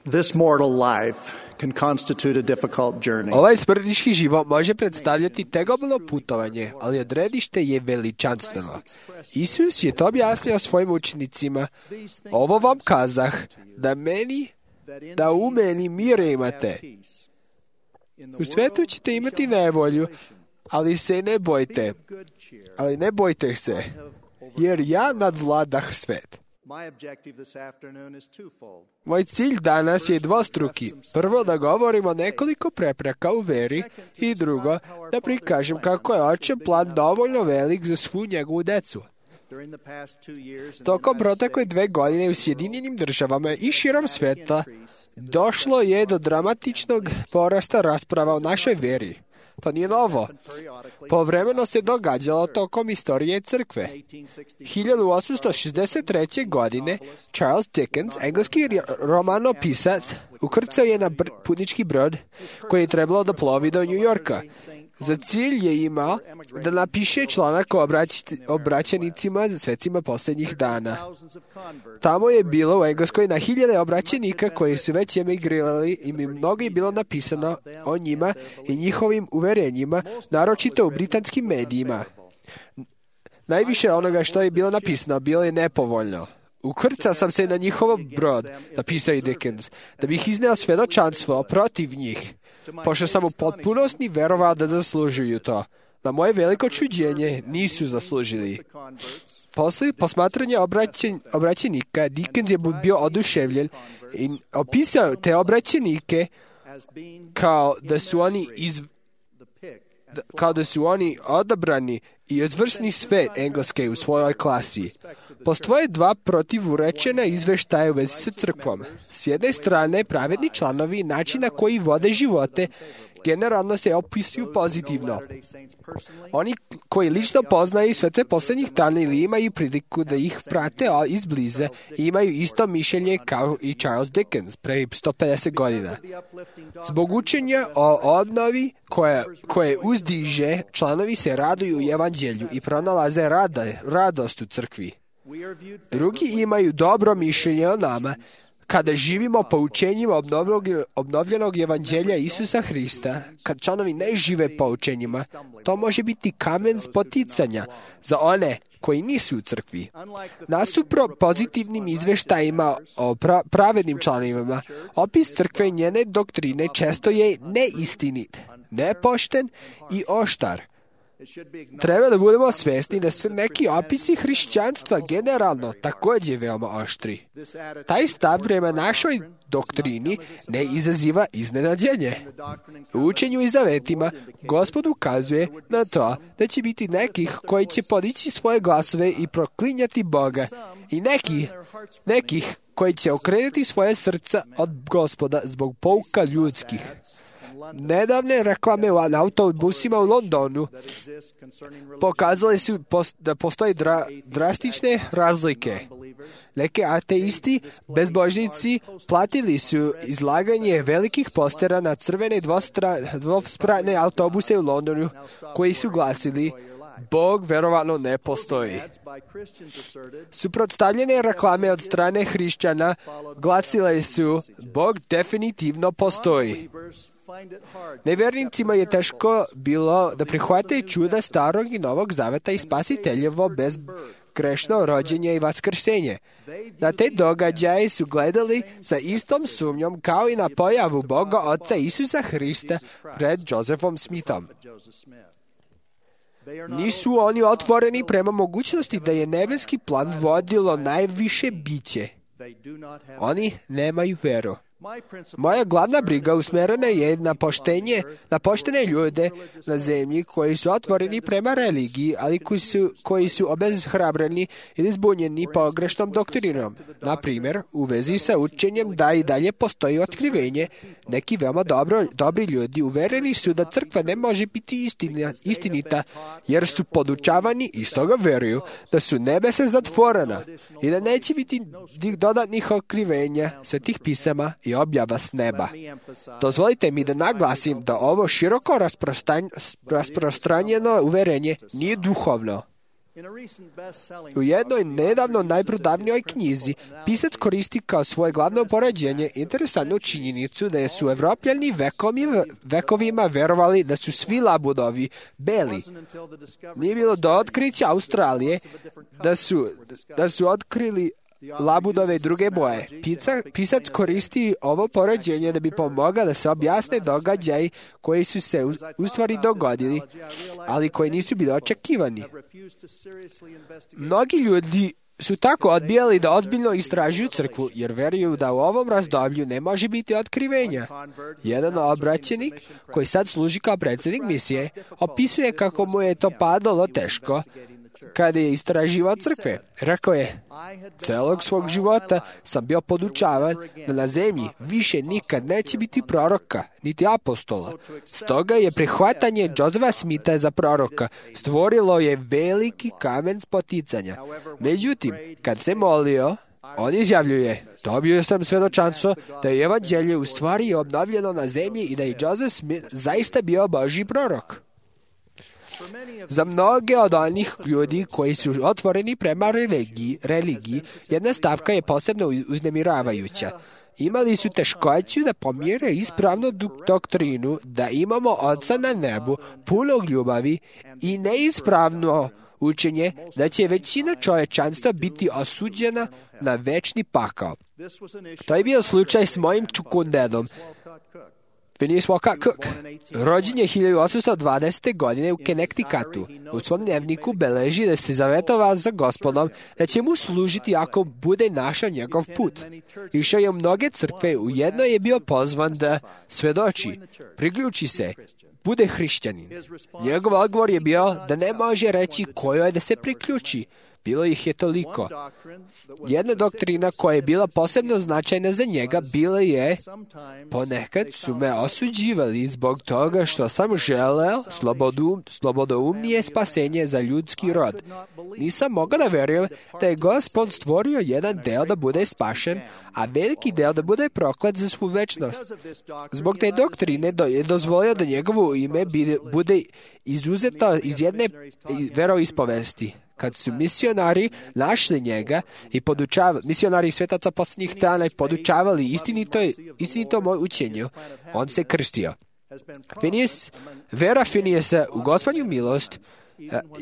H: This mortal life can constitute a difficult journey.
C: Ovaj smrtnički život može predstavljati tegobno putovanje, ali odredište je veličanstveno. Isus je to objasnio svojim učenicima. Ovo vam kazah, da u meni mir imate. U svetu ćete imati nevolju, ali se ne bojte. Ali ne bojte se, jer ja nadvladah svet. Moj cilj danas je dvostruki. Prvo, da govorimo nekoliko prepreka u veri i drugo, da prikažem kako je Očev plan dovoljno velik za svu njegovu decu. Tokom protekle 2 godine u Sjedinjenim državama i širom sveta došlo je do dramatičnog porasta rasprava o našoj veri. To nije novo. Povremeno se događalo tokom istorije crkve. 1863. godine Charles Dickens, engleski romanopisac, ukrcao je na putnički brod koji je trebalo da plovi do New Yorka. Za cilj je imao da napiše članak o obraćenicima svecima posljednjih dana. Tamo je bilo u Engleskoj na hiljade obraćenika koji su već emigrirali i mnogo je bilo napisano o njima i njihovim uverenjima, naročito u britanskim medijima. Najviše onoga što je bilo napisano bilo je nepovoljno. Ukrcao sam se na njihov brod, napisao je Dickens, da bih izneo svedočanstvo protiv njih, pošto sam u potpunosti verovao da zaslužuju to. Na moje veliko čuđenje nisu zaslužili. Posle posmatranja obraćenika, Dickens je bio oduševljen i opisao te obraćenike kao da su oni odabrani i izvrsni svet Engleske u svojoj klasi. Postoje 2 protivurečena izveštaja u vezi sa crkvom. S jedne strane, pravedni članovi načina koji vode živote generalno se opisuju pozitivno. Oni koji lično poznaju svece posljednjih dana ili imaju priliku da ih prate izbliza i imaju isto mišljenje kao i Charles Dickens pre 150 godina. Zbog učenja o obnovi koje uzdiže, članovi se raduju u evanđelju i pronalaze radost u crkvi. Drugi imaju dobro mišljenje o nama kada živimo poučenjima obnovljenog evanđelja Isusa Hrista. Kad članovi ne žive poučenjima, to može biti kamen spoticanja za one koji nisu u crkvi. Nasupro pozitivnim izveštajima o pravednim članovima, opis crkve i njene doktrine često je neistinit, nepošten i oštar. Treba da budemo svjesni da su neki opisi hrišćanstva generalno također veoma oštri. Taj stav prema našoj doktrini ne izaziva iznenađenje. U učenju i zavetima Gospod ukazuje na to da će biti nekih koji će podići svoje glasove i proklinjati Boga i nekih koji će okrenuti svoje srca od Gospoda zbog pouka ljudskih. Nedavne reklame na autobusima u Londonu pokazali su da postoje drastične razlike. Neki ateisti, bezbožnici, platili su izlaganje velikih postera na crvene dvospratne autobuse u Londonu koji su glasili Bog verovatno ne postoji. Suprotstavljene reklame od strane hrišćana glasile su Bog definitivno postoji. Nevjernicima je teško bilo da prihvate čuda starog i novog zaveta i spasiteljevo bezgrešno rođenje i vaskrsenje. Na te događaje su gledali sa istom sumnjom kao i na pojavu Boga Oca Isusa Hrista pred Josephom Smithom. Nisu oni otvoreni prema mogućnosti da je nebeski plan vodilo najviše biće. Oni nemaju veru. Moja glavna briga usmerena je na poštene ljude na zemlji koji su otvoreni prema religiji, ali koji su obeshrabreni ili zbunjeni pogrešnom doktrinom. Na primjer, u vezi sa učenjem da i dalje postoji otkrivenje, neki veoma dobri ljudi uvereni su da crkva ne može biti istinita, jer su podučavani i stoga veruju da su nebesa zatvorena i da neće biti dodatnih otkrivenja svetih pisama i objava s neba. Dozvolite mi da naglasim da ovo široko rasprostranjeno uverenje nije duhovno. U jednoj nedavno najprodavnijoj knjizi pisac koristi kao svoje glavno poređenje interesantnu činjenicu da su Evropljani vekovima verovali da su svi labudovi beli. Nije bilo do otkrića Australije da su otkrili labudove i druge boje. Pisac koristi ovo poređenje da bi pomogao da se objasne događaji koji su se u stvari dogodili, ali koji nisu bili očekivani. Mnogi ljudi su tako odbijali da ozbiljno istražuju crkvu, jer veruju da u ovom razdoblju ne može biti otkrivenja. Jedan obraćenik, koji sad služi kao predsjednik misije, opisuje kako mu je to padalo teško kada je istraživao crkve. Rekao je, celog svog života sam bio podučavan da na zemlji više nikad neće biti proroka, niti apostola. Stoga je prihvatanje Josefa Smitha za proroka stvorilo je veliki kamen spoticanja. Međutim, kad se molio, on izjavljuje, dobio sam svedočanstvo da je evanđelje u stvari obnovljeno na zemlji i da je Joseph Smith zaista bio Božji prorok. Za mnoge od onih ljudi koji su otvoreni prema religiji, jedna stavka je posebno uznemiravajuća. Imali su teškoću da pomire ispravnu doktrinu da imamo Oca na nebu, punog ljubavi, i neispravno učenje da će većina čovječanstva biti osuđena na večni pakao. To je bio slučaj s mojim čukundedom, Phineas Walcott Cook. Rođen je 1820. godine u Connecticutu. U svom dnevniku beleži da se zavetovao za Gospodom da će mu služiti ako bude našao njegov put. Išao je u mnoge crkve, u jednoj je bio pozvan da svedoči, priključi se, bude hrišćanin. Njegov odgovor je bio da ne može reći kojoj da se priključi. Bilo ih je toliko. Jedna doktrina koja je bila posebno značajna za njega bila je, ponekad su me osuđivali zbog toga što sam želeo slobodoumnije spasenje za ljudski rod. Nisam mogao da verujem da je Gospod stvorio jedan deo da bude spašen, a veliki deo da bude proklet za svu večnost. Zbog te doktrine je dozvolio da njegovo ime bude izuzeto iz jedne veroispovesti. Kad su misionari našli njega i misionari svetaca posljednjih dana i podučavali istinitom učenju, on se krstio. Vera Phineasa u Gospodnju milost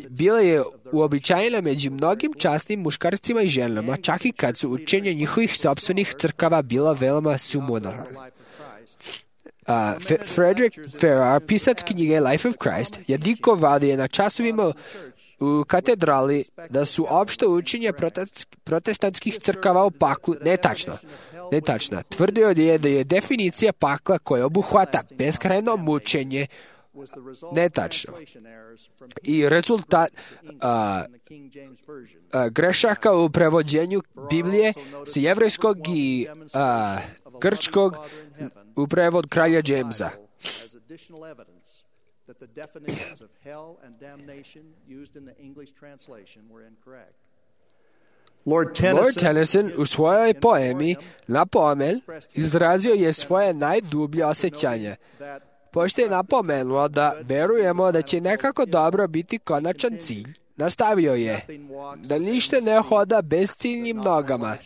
C: bila je uobičajena među mnogim časnim muškarcima i ženama, čak i kad su učenja njihovih sopstvenih crkava bila veoma sumorna. Frederick Farrar, pisac knjige Life of Christ, je dikovao da je na časovima u katedrali da su opšte učenja protestantskih crkava o paklu netačna. Tvrdio je da je definicija pakla koja obuhvata beskrajno mučenje netačno. I rezultat grešaka u prevođenju Biblije sa jevrejskog i grčkog u prevod kralja Jamesa.
H: That the definitions of hell and damnation used in the English translation were incorrect.
C: Lord Tennyson u svojoj poemi Na pomen izrazio je svoje najdublje osjećanje. Pošto je napomenuo da verujemo da će nekako dobro biti konačan cilj, nastavio je da ništa ne hoda bezciljnim nogama,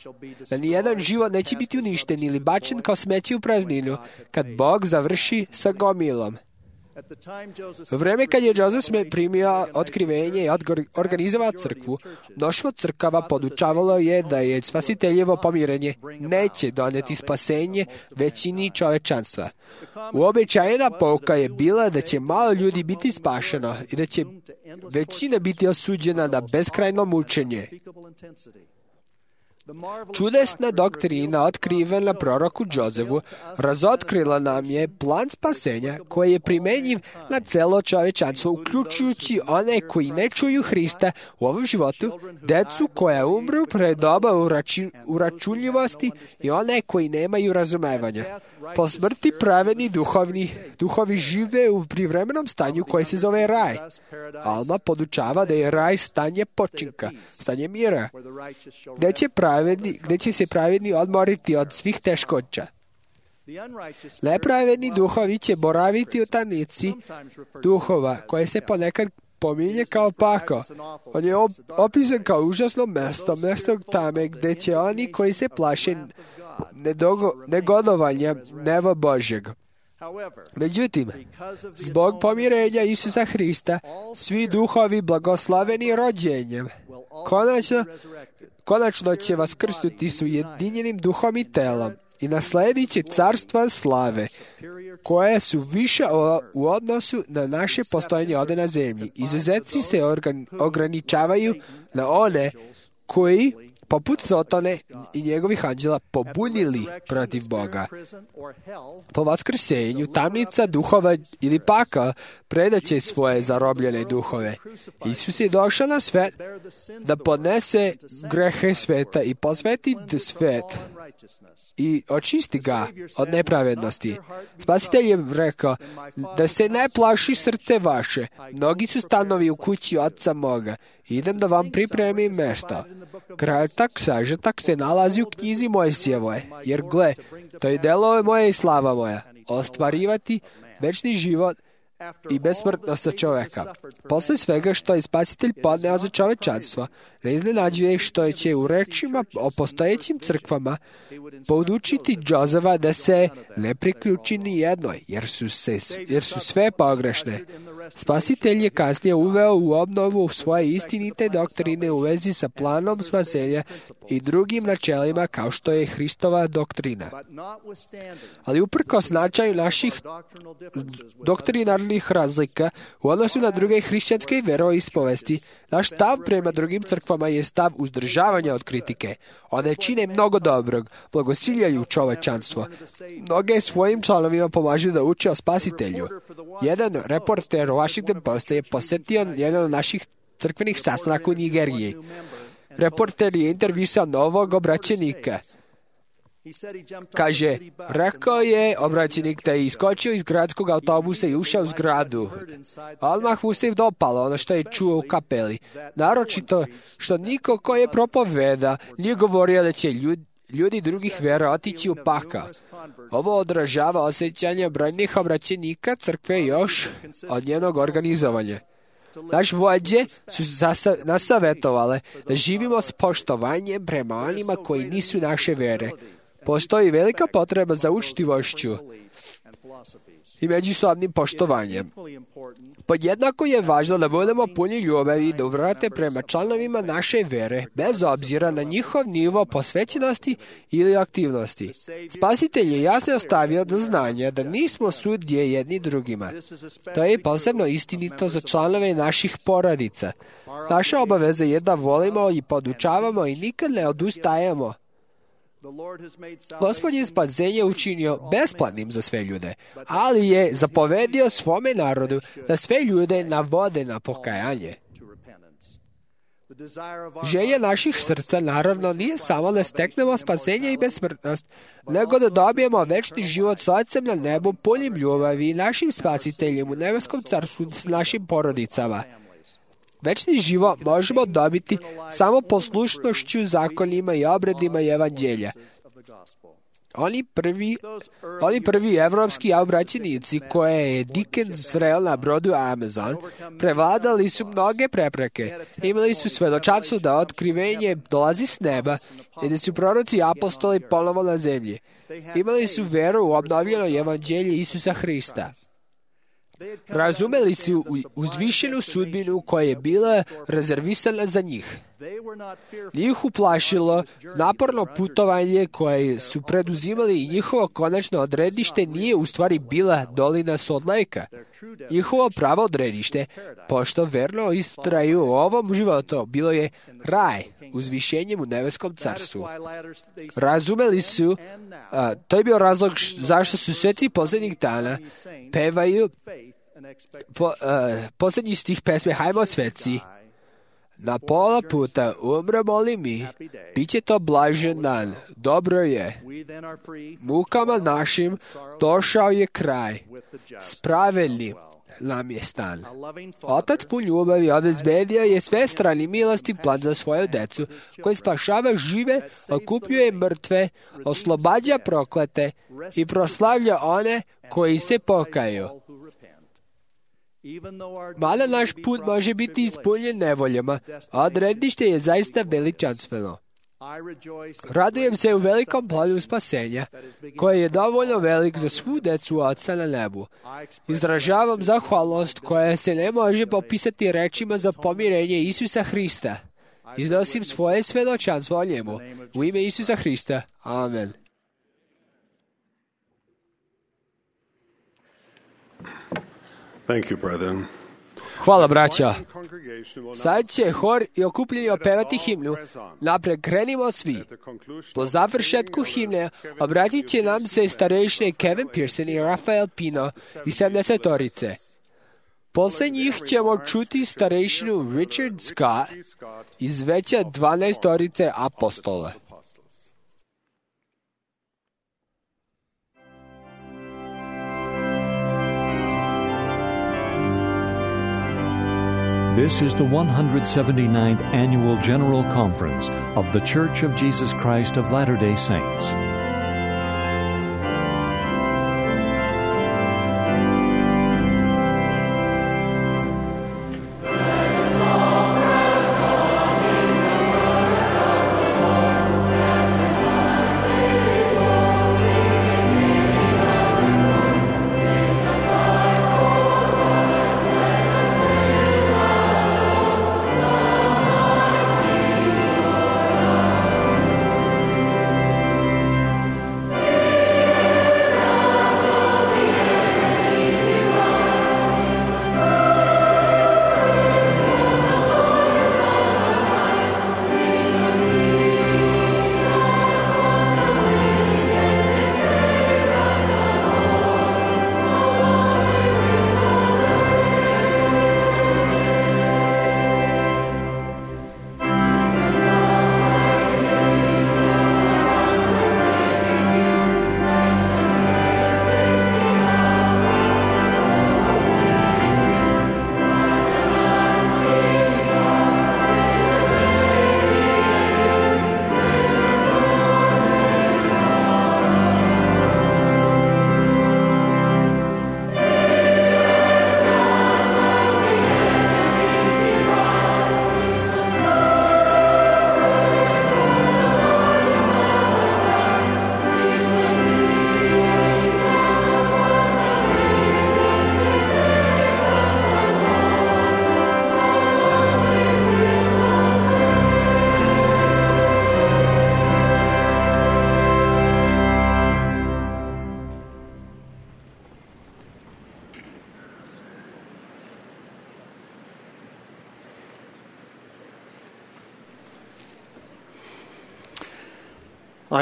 C: da nijedan život neće biti uništen ili bačen kao smeće u prazninu kad Bog završi sa gomilom. U vreme kad je Joseph Smith primio otkrivenje i organizovao crkvu, mnoštvo crkava podučavalo je da je spasiteljevo pomirenje neće doneti spasenje većini čovečanstva. Uobičajena pouka je bila da će malo ljudi biti spašeno i da će većina biti osuđena na beskrajno mučenje. Čudesna doktrina otkrivena proroku Josefu razotkrila nam je plan spasenja koji je primenjiv na celo čovečanstvo, uključujući one koji ne čuju Hrista u ovom životu, decu koja umru pre doba uračunljivosti i one koji nemaju razumevanja. Po smrti pravedni duhovi žive u privremenom stanju koje se zove raj. Alma podučava da je raj stanje počinka, stanje mira, gde će se pravedni odmoriti od svih teškoća. Nepravedni duhovi će boraviti u tamnici duhova, koje se ponekad pominje kao pakao. On je opisan kao užasno mesto tame gde će oni koji se plaše negodovanja neba Božjeg. Međutim, zbog pomirenja Isusa Hrista, svi duhovi blagoslaveni rođenjem, konačno će vaskrstuti s ujedinjenim duhom i telom i nasledit će carstva slave, koje su više u odnosu na naše postojanje ovdje na zemlji. Izuzeci se ograničavaju na one koji, poput Sotone i njegovih anđela, pobunili protiv Boga. Po vaskrsenju, tamnica duhova ili pakao predaće svoje zarobljene duhove. Isus je došao na svet da podnese grehe sveta i posveti svet i očisti ga od nepravednosti. Spasitelj je rekao da se ne plaši srce vaše. Mnogi su stanovi u kući Oca moga. Idem da vam pripremim mjesto. Kratak sažetak se nalazi u knjizi Mojsijevoj, jer gle, to je delo moje i slava moja, ostvarivati večni život i besmrtnost za čoveka. Posle svega što je Spasitelj podneo za čovečanstvo, ne iznenađuje što će u rečima o postojećim crkvama podučiti Josefa da se ne priključi ni jednoj, jer su sve pogrešne. Spasitelj je kasnije uveo u obnovu svoje istinite doktrine u vezi sa planom spasenja i drugim načelima kao što je Hristova doktrina. Ali uprkos značaju naših doktrinarnih razlika u odnosu na druge hrišćanske veroispovesti, naš stav prema drugim crkvama je stav uzdržavanja od kritike. One čine mnogo dobrog, blagosiljaju čovečanstvo. Mnoge svojim članovima pomažu da uče o Spasitelju. Jedan reporter u Washington Postu je posjetio jedan od naših crkvenih sastanaka u Nigeriji. Reporter je intervjuisao novog obraćenika. Kaže, rekao je obraćenik da je iskočio iz gradskog autobusa i ušao u zgradu. Odmah mu se dopalo ono što je čuo u kapeli. Naročito što niko ko je propoveda nije govorio da će ljudi drugih vera otići u pakao. Ovo odražava osjećanje brojnih obraćenika crkve još od njenog organizovanja. Naš vođe su nas savjetovale da živimo s poštovanjem prema onima koji nisu naše vere. Postoji velika potreba za učtivošću i međusobnim poštovanjem. Podjednako je važno da budemo puni ljubavi i dobrate prema članovima naše vere, bez obzira na njihov nivo posvećenosti ili aktivnosti. Spasitelj je jasno ostavio do znanja da nismo sudje jedni drugima. To je posebno istinito za članove naših porodica. Naša obaveza je da volimo i podučavamo i nikad ne odustajemo. Gospod je spasenje učinio besplatnim za sve ljude, ali je zapovedio svome narodu da sve ljude navode na pokajanje. Želja naših srca naravno nije samo da steknemo spasenje i besmrtnost, nego da dobijemo večni život s Ocem na nebu punim ljubavi i našim Spasiteljem u nebeskom carstvu s našim porodicama. Večni život možemo dobiti samo poslušnošću zakonima i obredima i evanđelja. Oni prvi evropski obraćenici koje je Dickens sreo na brodu Amazon prevladali su mnoge prepreke. Imali su svedočanstvo da otkrivenje dolazi s neba i da su proroci i apostoli ponovo na zemlji. Imali su veru u obnovljeno evanđelje Isusa Hrista. Razumeli su uzvišenu sudbinu koja je bila rezervisana za njih. Nije ih uplašilo naporno putovanje koje su preduzimali i njihovo konačno odredište nije u stvari bila dolina Salt Lake-a. Njihovo pravo odredište, pošto verno istraju u ovom životu, bilo je raj, uzvišenjem u nebeskom carstvu. Razumeli su, to je bio razlog zašto su sveci posljednjih dana pevaju posljednji stih pesme Hajmo sveci. Na pola puta umremo li mi, bit će to blažen dan, dobro je. Mukama našim došao je kraj, spravedljiv nam je stan. Otac pun ljubavi obezbedio je svestran i milosti plan za svoju decu, koji spašava žive, okupljuje mrtve, oslobađa proklete i proslavlja one koji se pokaju. Mada naš put može biti ispunjen nevoljama, a odredište je zaista veličanstveno. Radujem se u velikom planu spasenja, koji je dovoljno velik za svu decu Oca na nebu. Izražavam zahvalnost koja se ne može popisati rečima za pomirenje Isusa Hrista. Iznosim svoje svedočanstvo o njemu. U ime Isusa Hrista. Amen.
E: Thank you, brethren.
C: Hvala, braća. Sad će hor i okupljeni opevati himnu. Napred krenimo svi. Po završetku himne obratit će nam se starejšine Kevin Pearson i Rafael Pino i 70-orice. Posle njih ćemo čuti starejšinu Richard Scott iz veća 12-orice apostola.
A: This is the 179th Annual General Conference of The Church of Jesus Christ of Latter-day Saints.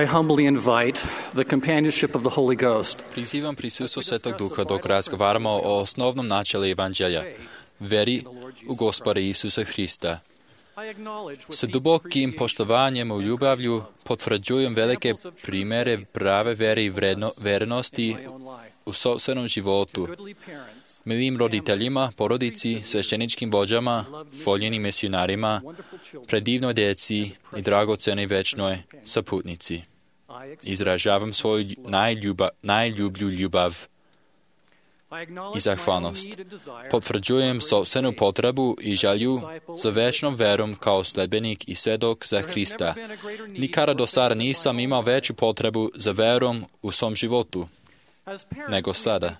I: I humbly invite the companionship of the Holy Ghost.
G: Prizivam prisustvo Svetog Duha dok razgovaramo o osnovnom načelu Evanđelja, veri u Gospoda Isusa Hrista. Sa dubokim poštovanjem u ljubavlju potvrđujem velike primere prave vere i vernosti u sopstvenom životu. Milim roditeljima, porodici, svešteničkim vođama, voljenim misionarima, predivnoj djeci i dragocenoj večnoj saputnici. Izražavam svoju najljublju ljubav i zahvalnost. Potvrđujem sopstvenu potrebu i želju za večnom verom kao sledbenik i svjedok za Hrista. Nikada do sada nisam imao veću potrebu za verom u svom životu nego sada.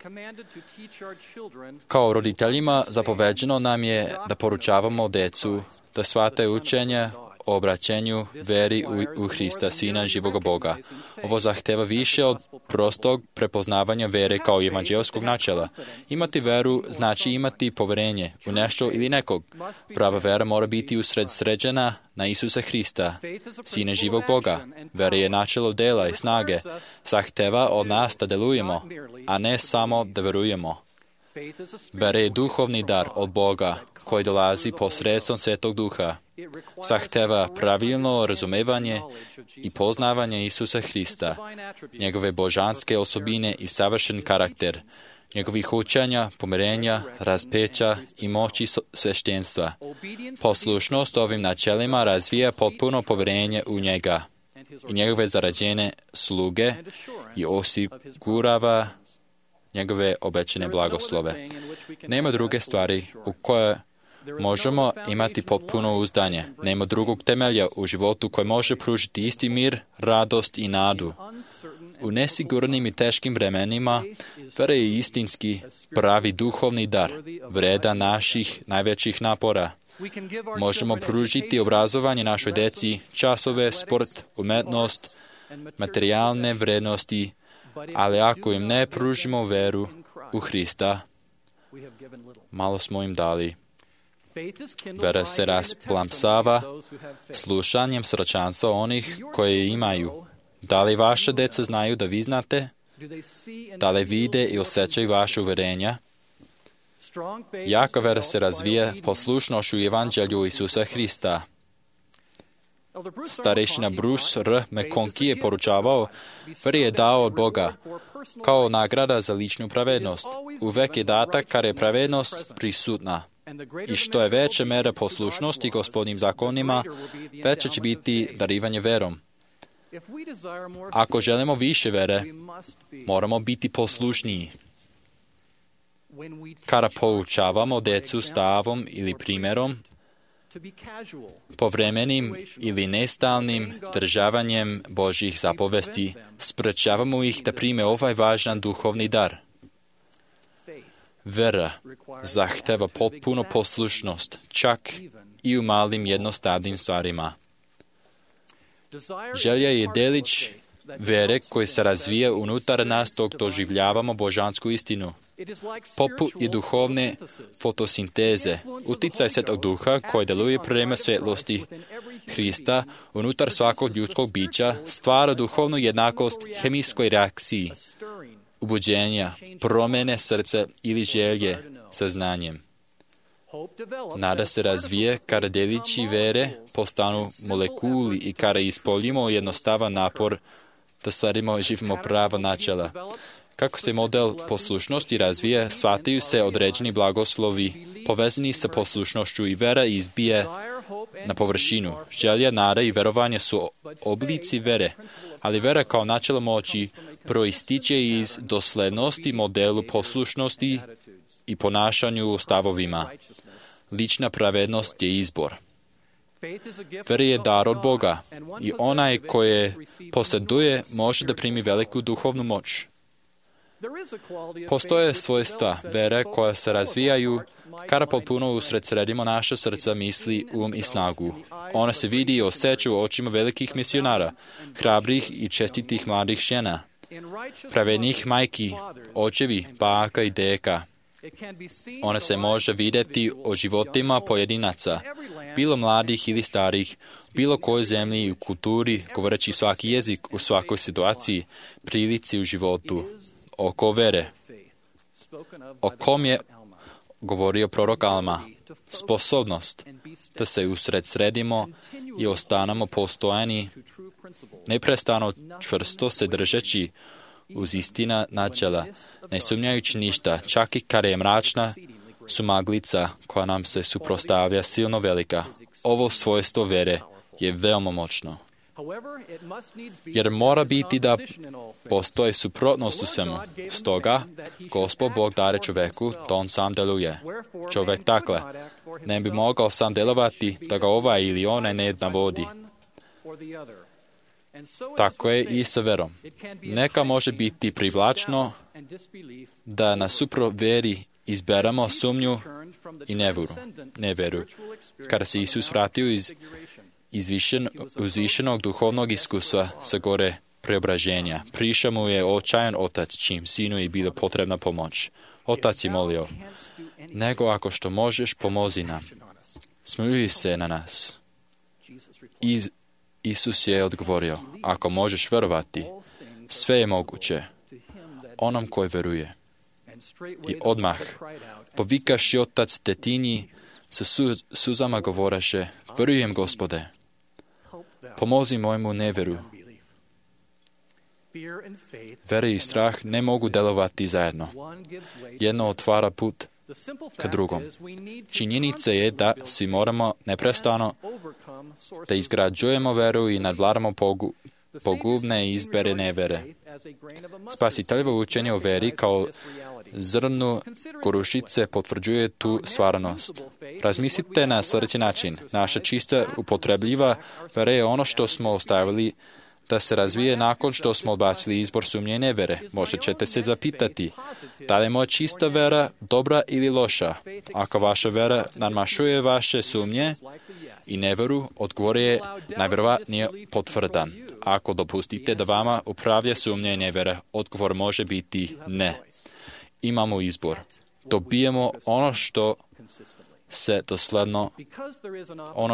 G: Kao roditeljima zapoveđeno nam je da poručavamo djecu da shvate učenje o obraćenju veri u Hrista, Sina živoga Boga. Ovo zahteva više od prostog prepoznavanja vere kao evanđelskog načela. Imati veru znači imati povjerenje u nešto ili nekog. Prava vera mora biti usredsređena na Isusa Hrista, Sina živog Boga. Vera je načelo dela i snage. Zahteva od nas da delujemo, a ne samo da verujemo. Vera je duhovni dar od Boga koji dolazi posredstvom Svetog Duha. Zahteva pravilno razumevanje i poznavanje Isusa Hrista, njegove božanske osobine i savršen karakter, njegovih učenja, pomirenja, raspeća i moći sveštenstva. Poslušnost ovim načelima razvija potpuno povjerenje u njega i njegove zarađene sluge i osigurava njegove obećane blagoslove. Nema druge stvari u koje možemo imati potpuno uzdanje. Nema drugog temelja u životu koji može pružiti isti mir, radost i nadu. U nesigurnim i teškim vremenima vera je istinski pravi duhovni dar, vredan naših najvećih napora. Možemo pružiti obrazovanje našoj deci, časove, sport, umetnost, materijalne vrednosti, ali ako im ne pružimo veru u Hrista, malo smo im dali. Vera se rasplamsava slušanjem svjedočanstva onih koje imaju. Da li vaše deca znaju da vi znate? Da li vide i osjećaju vaše uverenja? Jaka vera se razvija poslušnošću Evanđelju Isusa Hrista. Starešina Bruce R. McConkie je poručavao, vera je dao od Boga, kao nagrada za ličnu pravednost. Uvek je data kada je pravednost prisutna. I što je veća mera poslušnosti Gospodnjim zakonima, veće će biti darivanje verom. Ako želimo više vere, moramo biti poslušniji. Kada poučavamo decu stavom ili primjerom, povremenim ili nestalnim državanjem Božjih zapovesti, sprečavamo ih da prime ovaj važan duhovni dar. Vera zahteva potpuno poslušnost, čak i u malim jednostavnim stvarima. Želja je delić vere koji se razvija unutar nas dok doživljavamo božansku istinu. Poput i duhovne fotosinteze, uticaj Svetog Duha koji deluje prema svjetlosti Hrista unutar svakog ljudskog bića stvara duhovnu jednakost hemijskoj reakciji, ubuđenja, promjene srca ili želje sa znanjem. Nada se razvije kada delići vere postanu molekuli i kada ispoljimo jednostavan napor da sledimo i živimo prava načela. Kako se model poslušnosti razvija, shvataju se određeni blagoslovi povezani sa poslušnošću i vera izbije na površinu. Želja, nada i verovanje su oblici vere, ali vera kao načelo moći proističe iz doslednosti modelu poslušnosti i ponašanju u stavovima. Lična pravednost je izbor. Vera je dar od Boga i onaj koje posjeduje može da primi veliku duhovnu moć. Postoje svojstva vere koja se razvijaju kada potpuno usredsredimo naša srca, misli, i snagu. Ona se vidi i osjeća u očima velikih misionara, hrabrih i čestitih mladih žena, pravednih majki, očevi, baka i deka. Ona se može vidjeti o životima pojedinaca, bilo mladih ili starih, bilo kojoj zemlji i u kulturi, govoreći svaki jezik u svakoj situaciji, prilici u životu. Oko vere, o kom je govorio prorok Alma, sposobnost da se usredsredimo i ostanemo postojani, neprestano čvrsto se držeći uz istina načela, ne sumnjajući ništa, čak i kada je mračna sumaglica koja nam se suprotstavlja silno velika. Ovo svojstvo vere je veoma moćno. Jer mora biti da postoji suprotnost u svemu. Stoga, Gospod Bog dare čoveku, da on sam deluje. Čovek takle ne bi mogao sam delovati da ga ovaj ili onaj ne navodi. Tako je i sa verom. Neka može biti privlačno da na suprot veri izberamo sumnju i neveru. Kada se Isus vratio iz uzvišenog duhovnog iskustva sa gore preobraženja, prišao mu je očajan otac, čim sinu je bila potrebna pomoć. Otac je molio, nego ako što možeš, pomozi nam. Smiluj se na nas. Isus je odgovorio, ako možeš verovati, sve je moguće onom koji veruje. I odmah, povikaši otac detinji, sa suzama govoreše, verujem, Gospode, pomozi mojemu neveru. Vera i strah ne mogu delovati zajedno. Jedno otvara put ka drugom. Činjenica je da svi moramo neprestano da izgrađujemo veru i nadvladamo pogubne izbere nevere. Spasiteljevo učenje o veri kao zrnu korušice potvrđuje tu stvarnost. Razmislite na sljedeći način. Naša čista upotrebljiva vera je ono što smo ostavili da se razvije nakon što smo odbacili izbor sumnje i nevere. Možda ćete se zapitati, da li je moja čista vera dobra ili loša? Ako vaša vera nadmašuje vaše sumnje i neveru, odgovor je najvjerovatnije potvrdan. Ako dopustite da vama upravlja sumnja i nevera, odgovor može biti ne. Imamo izbor. Dobijemo ono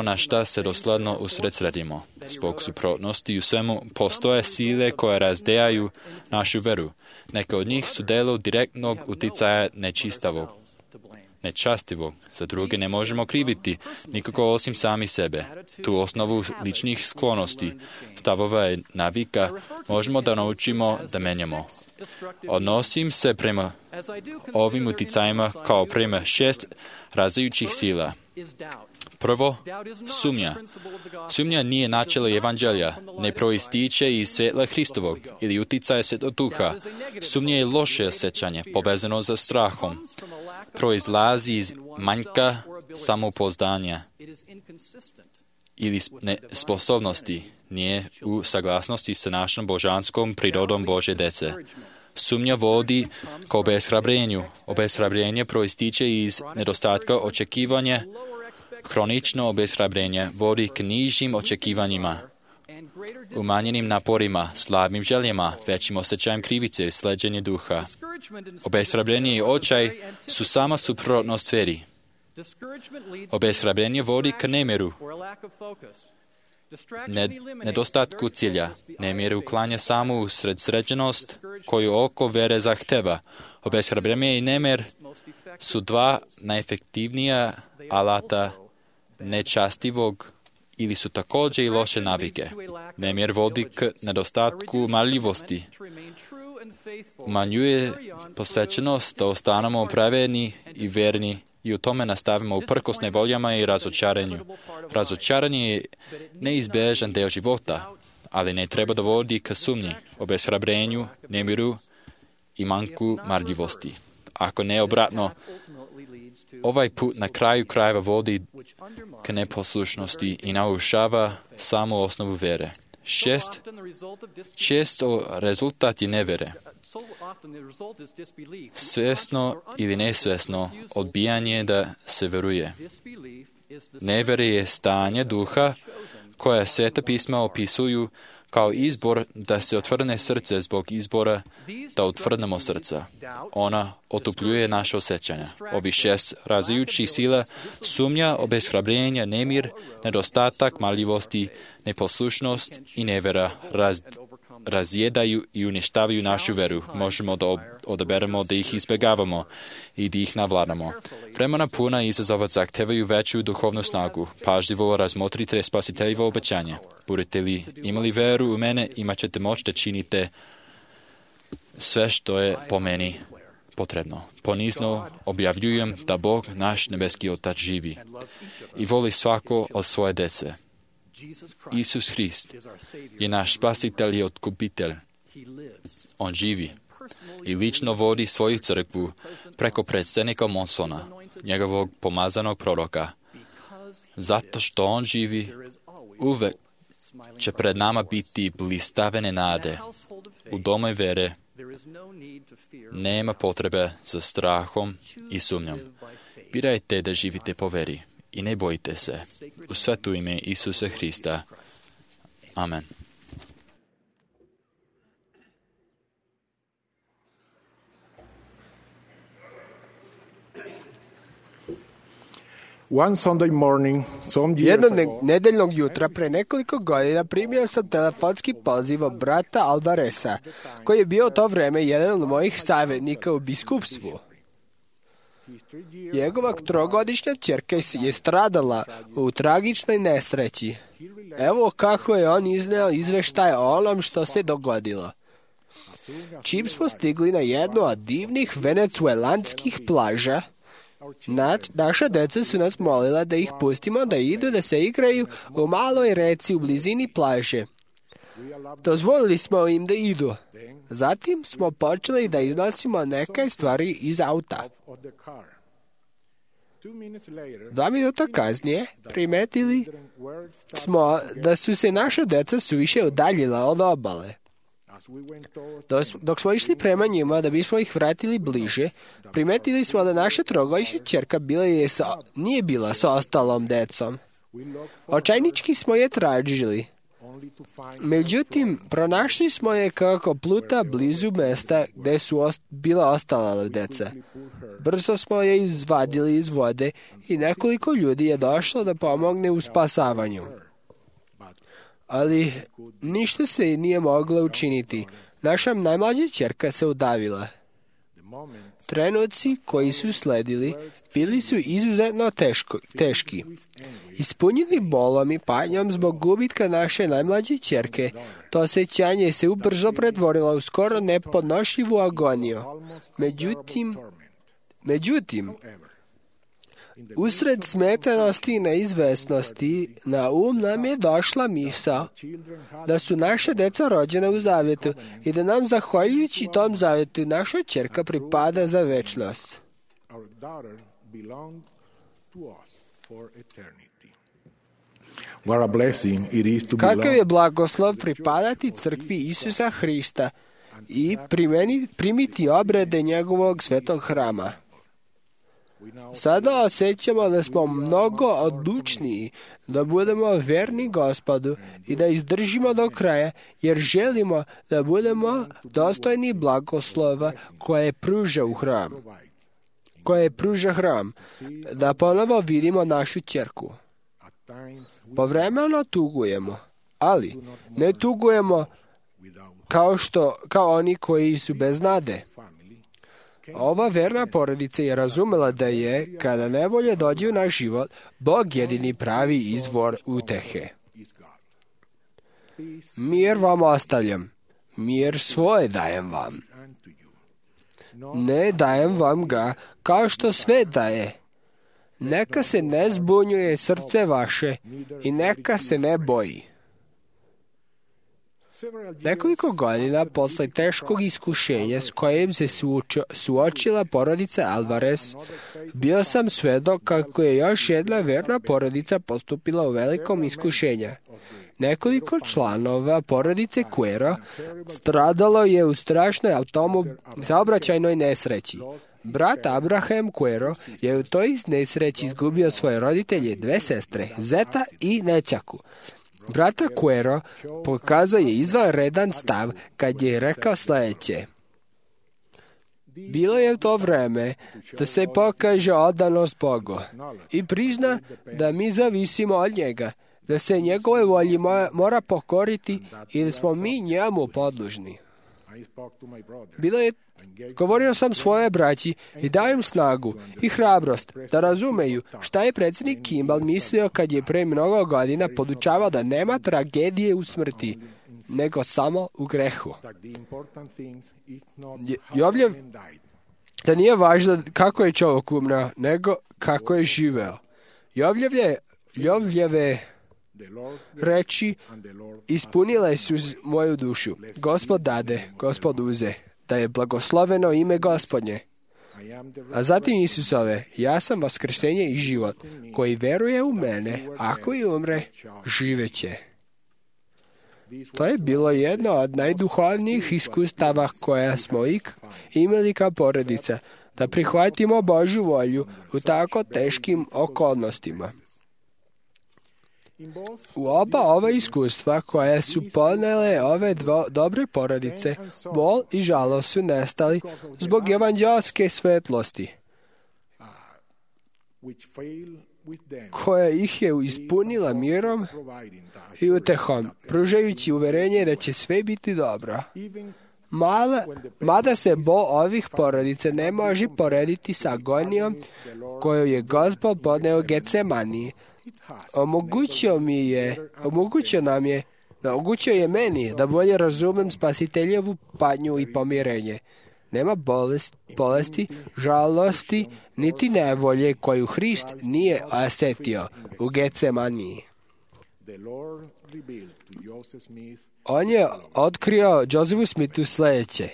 G: na šta se dosledno usredsredimo. Zbog suprotnosti u svemu postoje sile koje razdejaju našu veru. Neke od njih su delo direktnog uticaja nečastivog. Za druge ne možemo kriviti nikoga osim sami sebe. Tu osnovu ličnih sklonosti, stavova i navika možemo da naučimo da menjamo. Odnosim se prema ovim uticajima kao prema 6 različitih sila. Prvo, sumnja. Sumnja nije načelo evanđelja, ne proističe iz svjetla Hristovog ili uticaja Svetog Duha. Sumnja je loše osjećanje, povezano sa strahom. Proizlazi iz manjka samopouzdanja ili sposobnosti, nije u saglasnosti sa našom božanskom prirodom Božje dece. Sumnja vodi k obeshrabrenju. Obeshrabrenje proističe iz nedostatka očekivanja. Hronično obeshrabrenje vodi k nižim očekivanjima, umanjenim naporima, slabim željama, većim osjećajem krivice i sleđenje duha. Obeshrabrenje i očaj su sama suprotnost veri. Obeshrabrenje vodi k nemiru, nedostatku cilja. Nemir uklanja samu usredsređenost koju oko vere zahteva. Obeshrabrenje i nemir su dva najefektivnija alata nečastivog ili su također i loše navike. Nemir vodi k nedostatku marljivosti. Umanjuje posvećenost da ostanemo pravedni i verni i u tome nastavimo uprkos nevoljama i razočaranju. Razočaranje je neizbježan deo života, ali ne treba da vodi k sumnji, obeshrabrenju, nemiru i manjku marljivosti. Ako ne obratno, ovaj put na kraju krajeva vodi k neposlušnosti i narušava samu osnovu vere. 6. Često rezultat je nevere. Svjesno ili nesvjesno odbijanje da se veruje. Nevere je stanje duha koje Sveta pisma opisuju kao izbor da se otvrne srce zbog izbora da otvrdnemo srca. Ona otupljuje naše osjećanja. Ovi 6 različitih sila, sumnja, obeshrabrenje, nemir, nedostatak marljivosti, neposlušnost i nevera razjedaju i uništavaju našu veru. Možemo da odaberemo da ih izbjegavamo i da ih navladamo. Vremena puna izazova zahtevaju veću duhovnu snagu. Pažljivo razmotrite spasiteljevo obećanje. Budete li imali veru u mene, imat ćete moć da činite sve što je po meni potrebno. Ponizno objavljujem da Bog, naš nebeski Otac, živi i voli svako od svoje dece. Isus Hrist je naš spasitelj i otkupitelj. On živi i lično vodi svoju crkvu preko predsjednika Monsona, njegovog pomazanog proroka. Zato što on živi, uvek će pred nama biti blistavene nade. U domu vere nema potrebe za strahom i sumnjom. Birajte da živite po veri i ne bojite se. U sveto ime Isusa Hrista. Amen.
C: Jednog nedeljnog jutra pre nekoliko godina primio sam telefonski poziv od brata Alvareza, koji je bio u to vreme jedan od mojih savjetnika u biskupstvu. Njegova 3-godišnja ćerka je stradala u tragičnoj nesreći. Evo kako je on izneo izveštaj o onom što se dogodilo. Čim smo stigli na jednu od divnih venecuelanskih plaža, naša deca su nas molila da ih pustimo da idu da se igraju u maloj reci u blizini plaže. Dozvolili smo im da idu. Zatim smo počeli da iznosimo neke stvari iz auta. 2 minuta kasnije primetili smo da su se naša deca suviše udaljila od obale. Dok smo išli prema njima da bismo ih vratili bliže, primetili smo da naša trogodišnja ćerka nije bila sa ostalom decom. Očajnički smo je tražili. Međutim, pronašli smo je kako pluta blizu mesta gde su bila ostala deca. Brzo smo je izvadili iz vode i nekoliko ljudi je došlo da pomogne u spasavanju. Ali ništa se nije moglo učiniti. Naša najmlađa ćerka se udavila. Trenuci koji su sledili bili su izuzetno teški. Ispunjeni bolom i patnjom zbog gubitka naše najmlađe ćerke, to osjećanje se ubrzo pretvorilo u skoro nepodnošljivu agoniju. Međutim, usred smetenosti i neizvesnosti, na um nam je došla misao da su naše deca rođena u zavjetu i da nam, zahvaljujući tom zavjetu, naša ćerka pripada za večnost. Kakav je blagoslov pripadati crkvi Isusa Hrista i primiti obrede njegovog svetog hrama. Sada osjećamo da smo mnogo odlučniji da budemo verni Gospodu i da izdržimo do kraja, jer želimo da budemo dostojni blagoslova koje pruža hram, da ponovo vidimo našu ćerku. Povremeno tugujemo, ali ne tugujemo kao oni koji su bez nade. Ova verna porodica je razumela da je, kada nevolje dođe u naš život, Bog jedini pravi izvor utehe. Mir vam ostavljam, mir svoj dajem vam. Ne dajem vam ga kao što sve daje. Neka se ne zbunjuje srce vaše i neka se ne boji. Nekoliko godina posle teškog iskušenja s kojim se suočila porodica Alvarez, bio sam svedok kako je još jedna verna porodica postupila u velikom iskušenju. Nekoliko članova porodice Cuero stradalo je u strašnoj saobraćajnoj nesreći. Brat Abraham Cuero je u toj nesreći izgubio svoje roditelje, 2 sestre, zeta i nećaku. Brata Cuero pokazao je izvanredan stav kad je rekao sljedeće. Bilo je to vreme da se pokaže odanost Bogu i prizna da mi zavisimo od njega, da se njegove volji mora pokoriti i da smo mi njemu podložni. Govorio sam svoje braći i dao im snagu i hrabrost da razumeju šta je predsjednik Kimball mislio kad je pre mnogo godina podučavao da nema tragedije u smrti, nego samo u grehu. Da nije važno kako je čovjek umro, nego kako je živeo. Jovljeve reči ispunile su moju dušu. Gospod dade, Gospod uze, da je blagosloveno ime Gospodnje. A zatim Isusove, ja sam vaskrsenje i život, koji veruje u mene, ako i umre, živeće. To je bilo jedno od najduhovnijih iskustava koja smo imali kao porodica, da prihvatimo Božju volju u tako teškim okolnostima. U oba ova iskustva koja su ponele ove dobre porodice, bol i žalost su nestali zbog evanđelske svetlosti, koja ih je ispunila mirom i utehom, pružajući uverenje da će sve biti dobro. Mada se bol ovih porodica ne može porediti sa agonijom koju je Gospod podneo u Getsemaniji. Omogućio je meni da bolje razumem spasiteljevu patnju i pomirenje. Nema bolesti, žalosti, niti nevolje koju Hrist nije osetio u Getsemaniji. On je otkrio Josephu Smithu sljedeće.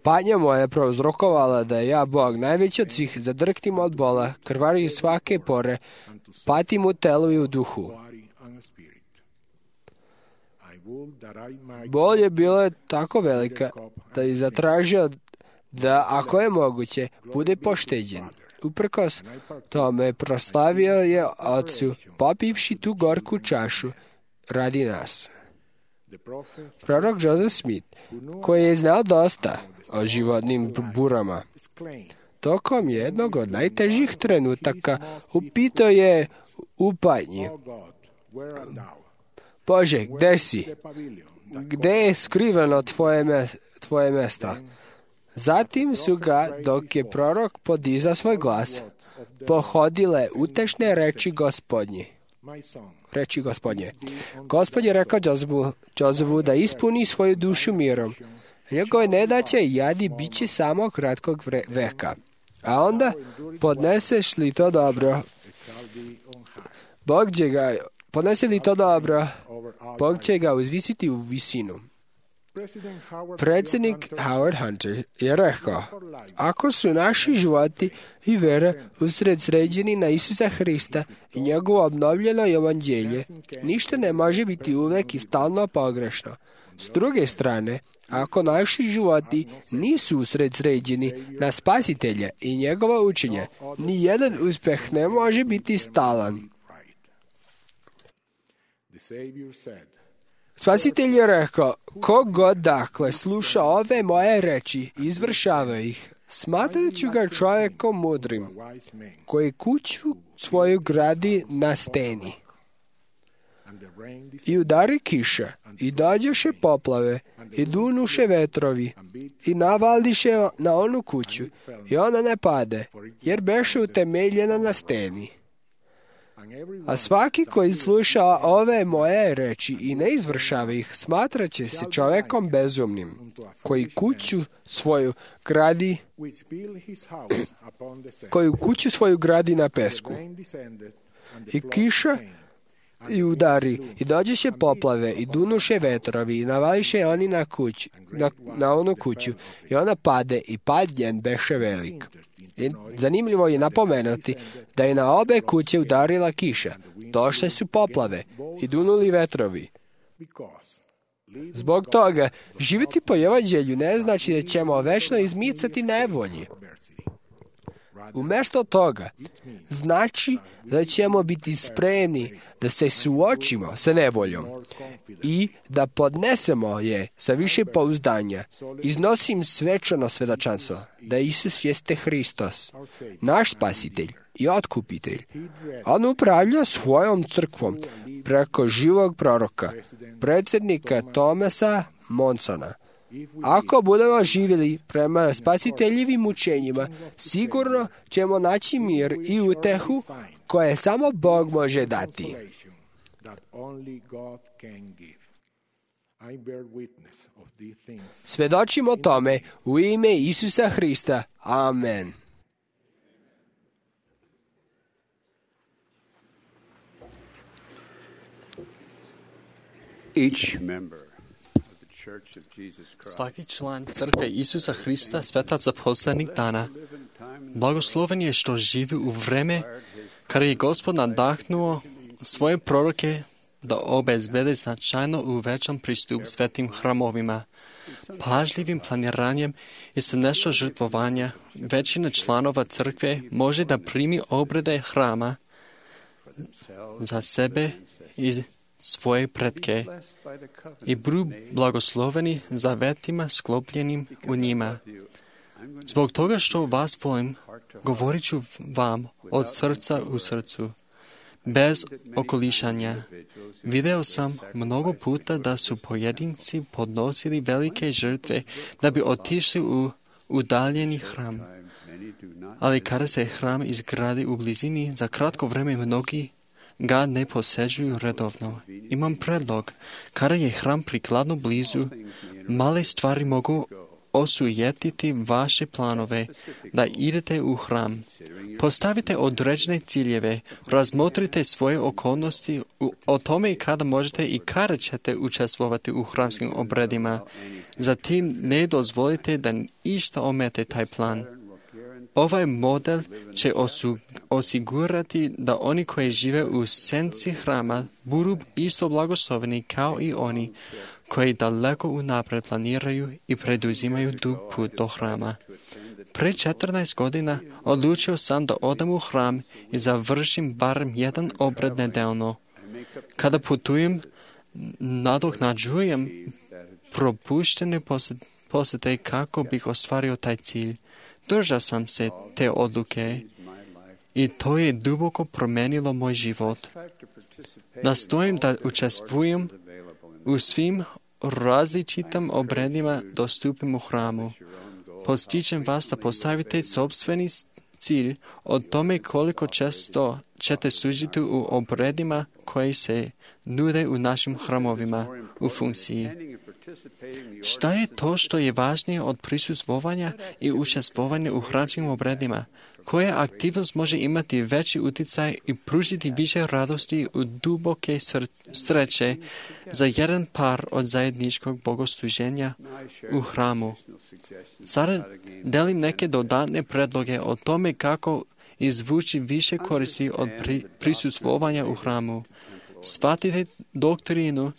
C: Patnja moja je prouzrokovala da je ja, Bog, najveći od svih, zadrktim od bola, krvari svake pore, patim u telu i u duhu. Bol je bila tako velika da je zatražio da, ako je moguće, bude pošteđen. Uprkos tome proslavio je Otcu, popivši tu gorku čašu radi nas. Prorok Joseph Smith, koji je znao dosta o životnim burama, tokom jednog od najtežih trenutaka upitao je u patnji: Bože, gde si? Gde je skriveno tvoje mesta? Zatim su ga, dok je prorok podizao svoj glas, pohodile utešne reči Gospodnje. Gospod je rekao Josephu da ispuni svoju dušu mirom. Njegove nedaće i jadi bit će samo kratkog veka. A onda podneseš li to dobro, Bog će ga uzvisiti u visinu. Predsjednik Howard Hunter je rekao: ako su naši životi i vera usredsređeni na Isusa Hrista i njegovo obnovljeno evanđelje, ništa ne može biti uvek i stalno pogrešno. S druge strane, ako naši životi nisu usredsređeni na Spasitelja i njegova učenja, ni jedan uspeh ne može biti stalan. Spasitelj je rekao: kogod dakle sluša ove moje reči, izvršava ih, smatrat ću ga čovjekom mudrim, koji kuću svoju gradi na steni. I udari kiša, i dođeše poplave, i dunuše vetrovi, i navaldiše na onu kuću, i ona ne pade, jer beše utemeljena na steni. A svaki koji sluša ove moje reči i ne izvršava ih, smatrat će se čovjekom bezumnim, koji kuću svoju gradi na pesku. I kiša i udari, i dođeše poplave, i dunuše vetrovi, i navališe oni na onu kuću, i ona pade, i pad njen beše velik. I zanimljivo je napomenuti da je na obe kuće udarila kiša, došle su poplave i dunuli vetrovi. Zbog toga, živjeti po evanđelju ne znači da ćemo večno izmicati nevolji. Umjesto toga, znači da ćemo biti spremni da se suočimo sa nevoljom i da podnesemo je sa više pouzdanja. Iznosim svečano svedočanstvo da Isus jeste Hristos, naš Spasitelj i Otkupitelj. On upravlja svojom crkvom preko živog proroka, predsjednika Thomasa Monsona. Ako budemo živjeli prema Spasiteljevim učenjima, sigurno ćemo naći mir i utehu koje samo Bog može dati. Svedočimo tome u ime Isusa Hrista. Amen.
F: Svaki član crkve Isusa Hrista, svetaca poslednjih dana, blagosloven je što živi u vreme kada je Gospod nadahnuo svoje proroke da obezbede značajno uvećan pristup svetim hramovima. Pažljivim planiranjem i srdečno žrtvovanja većina članova crkve može da primi obrede hrama za sebe i svoje pretke i budu blagosloveni zavetima sklopljenim u njima. Zbog toga što vas volim, govorit ću vam od srca u srcu, bez okolišanja. Video sam mnogo puta da su pojedinci podnosili velike žrtve da bi otišli u udaljeni hram. Ali kada se hram izgradi u blizini, za kratko vreme mnogi ga ne posežuju redovno. Imam predlog. Kada je hram prikladno blizu, male stvari mogu osujetiti vaše planove da idete u hram. Postavite određene ciljeve, razmotrite svoje okolnosti o tome kada možete i kada ćete učestvovati u hramskim obredima. Zatim ne dozvolite da išta omete taj plan. Ovaj model će osigurati da oni koji žive u senci hrama budu isto blagosloveni kao i oni koji daleko unapred planiraju i preduzimaju dug put do hrama. Pre 14 godina odlučio sam da odem u hram i završim barem jedan obred nedeljno. Kada putujem, nadoknađujem propuštene posjete kako bih ostvario taj cilj. Držao sam se te odluke i to je duboko promenilo moj život. Nastojim da učestvujem u svim različitim obredima dostupnim u hramu. Postičem vas da postavite sopstveni cilj o tome koliko često ćete služiti u obredima koji se nude u našim hramovima u funkciji. Šta je to što je važnije od prisustvovanja i učestvovanja u hramskim obredima? Koja aktivnost može imati veći utjecaj i pružiti više radosti u duboke sreće za jedan par od zajedničkog bogosluženja u hramu? Sada delim neke dodatne predloge o tome kako izvući više koristi od prisustvovanja u hramu. Shvatite doktrinu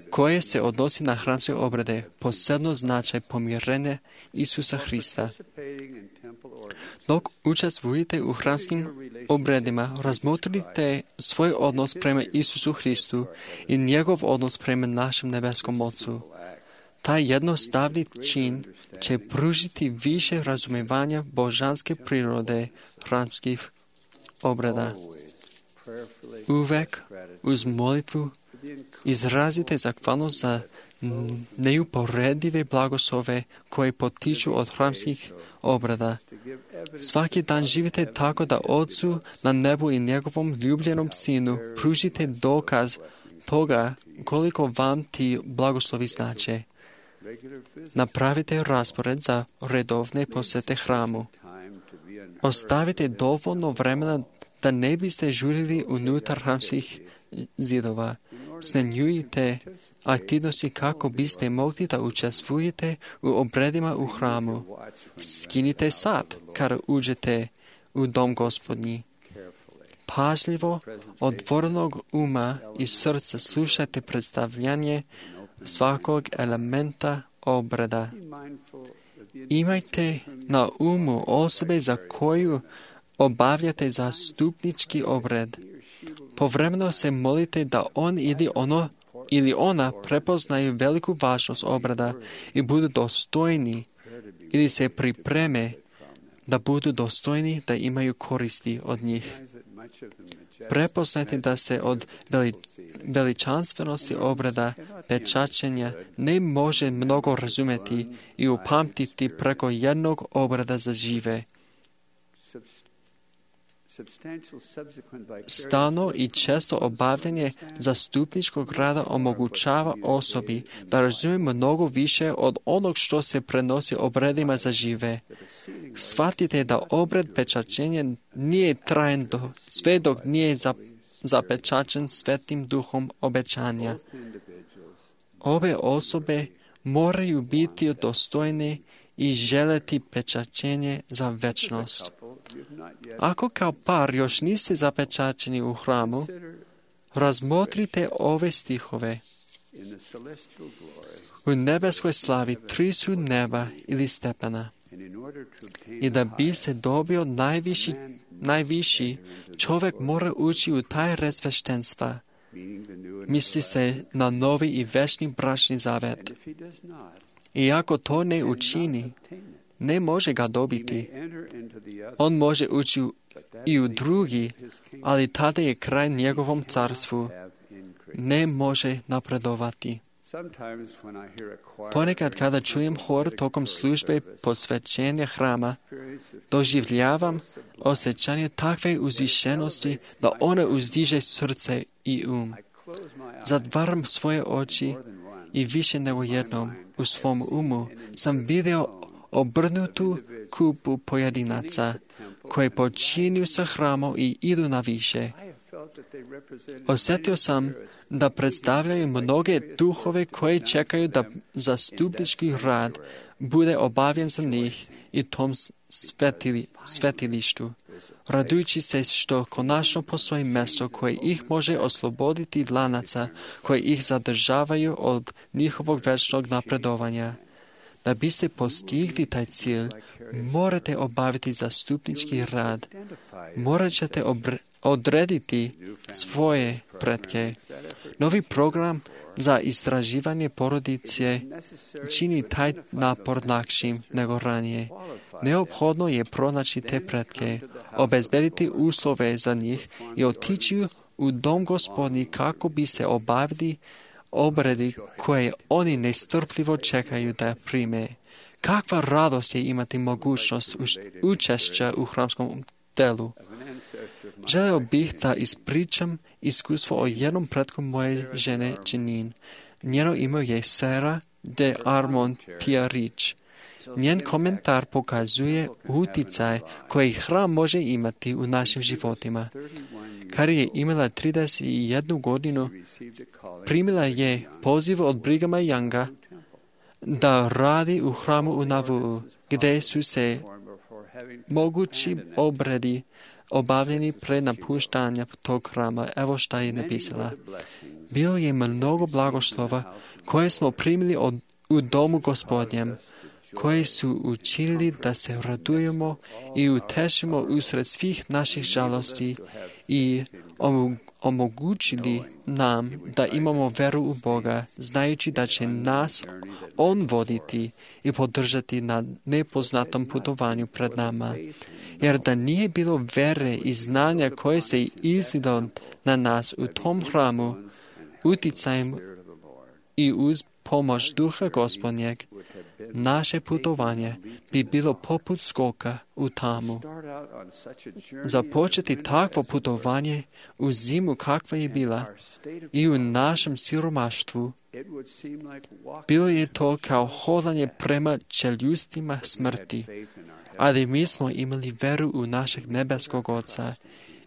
F: koja se odnosi na hramske obrede, posebno značaj pomirenja Isusa Hrista. Dok učestvujete u hramskim obredima, razmotrite svoj odnos prema Isusu Hristu i njegov odnos prema našem nebeskom Ocu. Taj jednostavni čin će pružiti više razumevanja božanske prirode hramskih obreda. Uvek uz molitvu izrazite zahvalnost za neuporedive blagoslove koje potiču od hramskih obreda. Svaki dan živite tako da Otcu na nebu i njegovom ljubljenom Sinu pružite dokaz toga koliko vam ti blagoslovi znače. Napravite raspored za redovne posjete hramu. Ostavite dovoljno vremena da ne biste žurili unutar hramskih zidova. Smanjujte aktivnosti kako biste mogli da učestvujete u obredima u hramu. Skinite sat kada uđete u dom Gospodnji. Pažljivo, otvorenog uma i srca slušajte predstavljanje svakog elementa obreda. Imajte na umu osobe za koju obavljate zastupnički obred. Povremeno se molite da on ili ona prepoznaju veliku važnost obreda i budu dostojni ili se pripreme da budu dostojni da imaju koristi od njih. Prepoznajte da se od veličanstvenosti obreda pečaćenja ne može mnogo razumjeti i upamtiti preko jednog obreda za žive. Stalno i često obavljanje zastupničkog rada omogućava osobi da razumije mnogo više od onog što se prenosi obredima za žive. Shvatite da obred pečaćenja nije trajen sve dok nije zapečaćen Svetim Duhom obećanja. Ove osobe moraju biti dostojne i želeti pečaćenje za večnost. Ako kao par još niste zapečaćeni u hramu, razmotrite ove stihove. U nebeskoj slavi 3 su neba ili stepena. I da bi se dobio najviši, čovjek mora ući u taj red sveštenstva. Misli se na novi i večni bračni zavet. I ako to ne učini, ne može ga dobiti. On može ući i u drugi, ali tada je kraj njegovom carstvu. Ne može napredovati. Ponekad kada čujem hor tokom službe posvećenja hrama, doživljavam osjećanje takve uzvišenosti da ona uzdiže srce i um. Zatvaram svoje oči i više nego jednom u svom umu sam video obrnutu kupu pojedinaca koji počinju sa hramom i idu na više. Osjetio sam da predstavljaju mnoge duhove koje čekaju da zastupnički rad bude obavljen za njih i tom svetilištu, radujući se što konačno postoji mjesto koje ih može osloboditi lanaca koji ih zadržavaju od njihovog večnog napredovanja. Da biste postigli taj cilj, morate obaviti zastupnički rad. Morat ćete odrediti svoje pretke. Novi program za istraživanje porodice čini taj napor lakšim nego ranije. Neophodno je pronaći te pretke, obezbediti uslove za njih i otići u dom Gospodnji kako bi se obavili obredi koje oni nestrpljivo čekaju da prime. Kakva radost je imati mogućnost učešća u hramskom delu. Želeo bih da ispričam iskustvo o jednom pretku moje žene Janine. Njeno ime je Sarah de Armand Pierrich. Njen komentar pokazuje uticaj koji hram može imati u našim životima. Kad je imala 31 godinu, primila je poziv od Brighama Younga da radi u hramu u Nauvoo, gdje su se mogući obredi obavljeni pre napuštanja tog hrama. Evo šta je napisala. Bilo je mnogo blagoslova koje smo primili u domu Gospodnjem, koji su učinili da se radujemo i utešimo usred svih naših žalosti i omogućili nam da imamo veru u Boga, znajući da će nas On voditi i podržati na nepoznatom putovanju pred nama. Jer da nije bilo vere i znanja koje se izlilo na nas u tom hramu, uticajem i uz pomoć Duha Gospodnjeg, naše putovanje bi bilo poput skoka u tamu. Započeti takvo putovanje u zimu kakva je bila i u našem siromaštvu, bilo je to kao hodanje prema čeljustima smrti, ali mi smo imali veru u našeg nebeskog Oca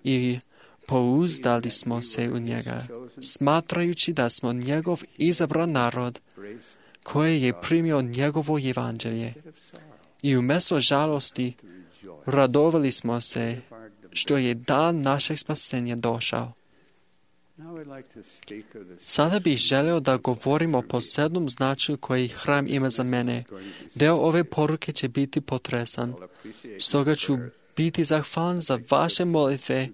F: i pouzdali smo se u njega, smatrajući da smo njegov izabran narod koji je primio njegovo evanđelje. I umjesto žalosti radovali smo se što je dan našeg spasenja došao. Sada bih želeo da govorim o posebnom značaju koji hram ima za mene. Deo ove poruke će biti potresan. Stoga ću biti zahvalan za vaše molitve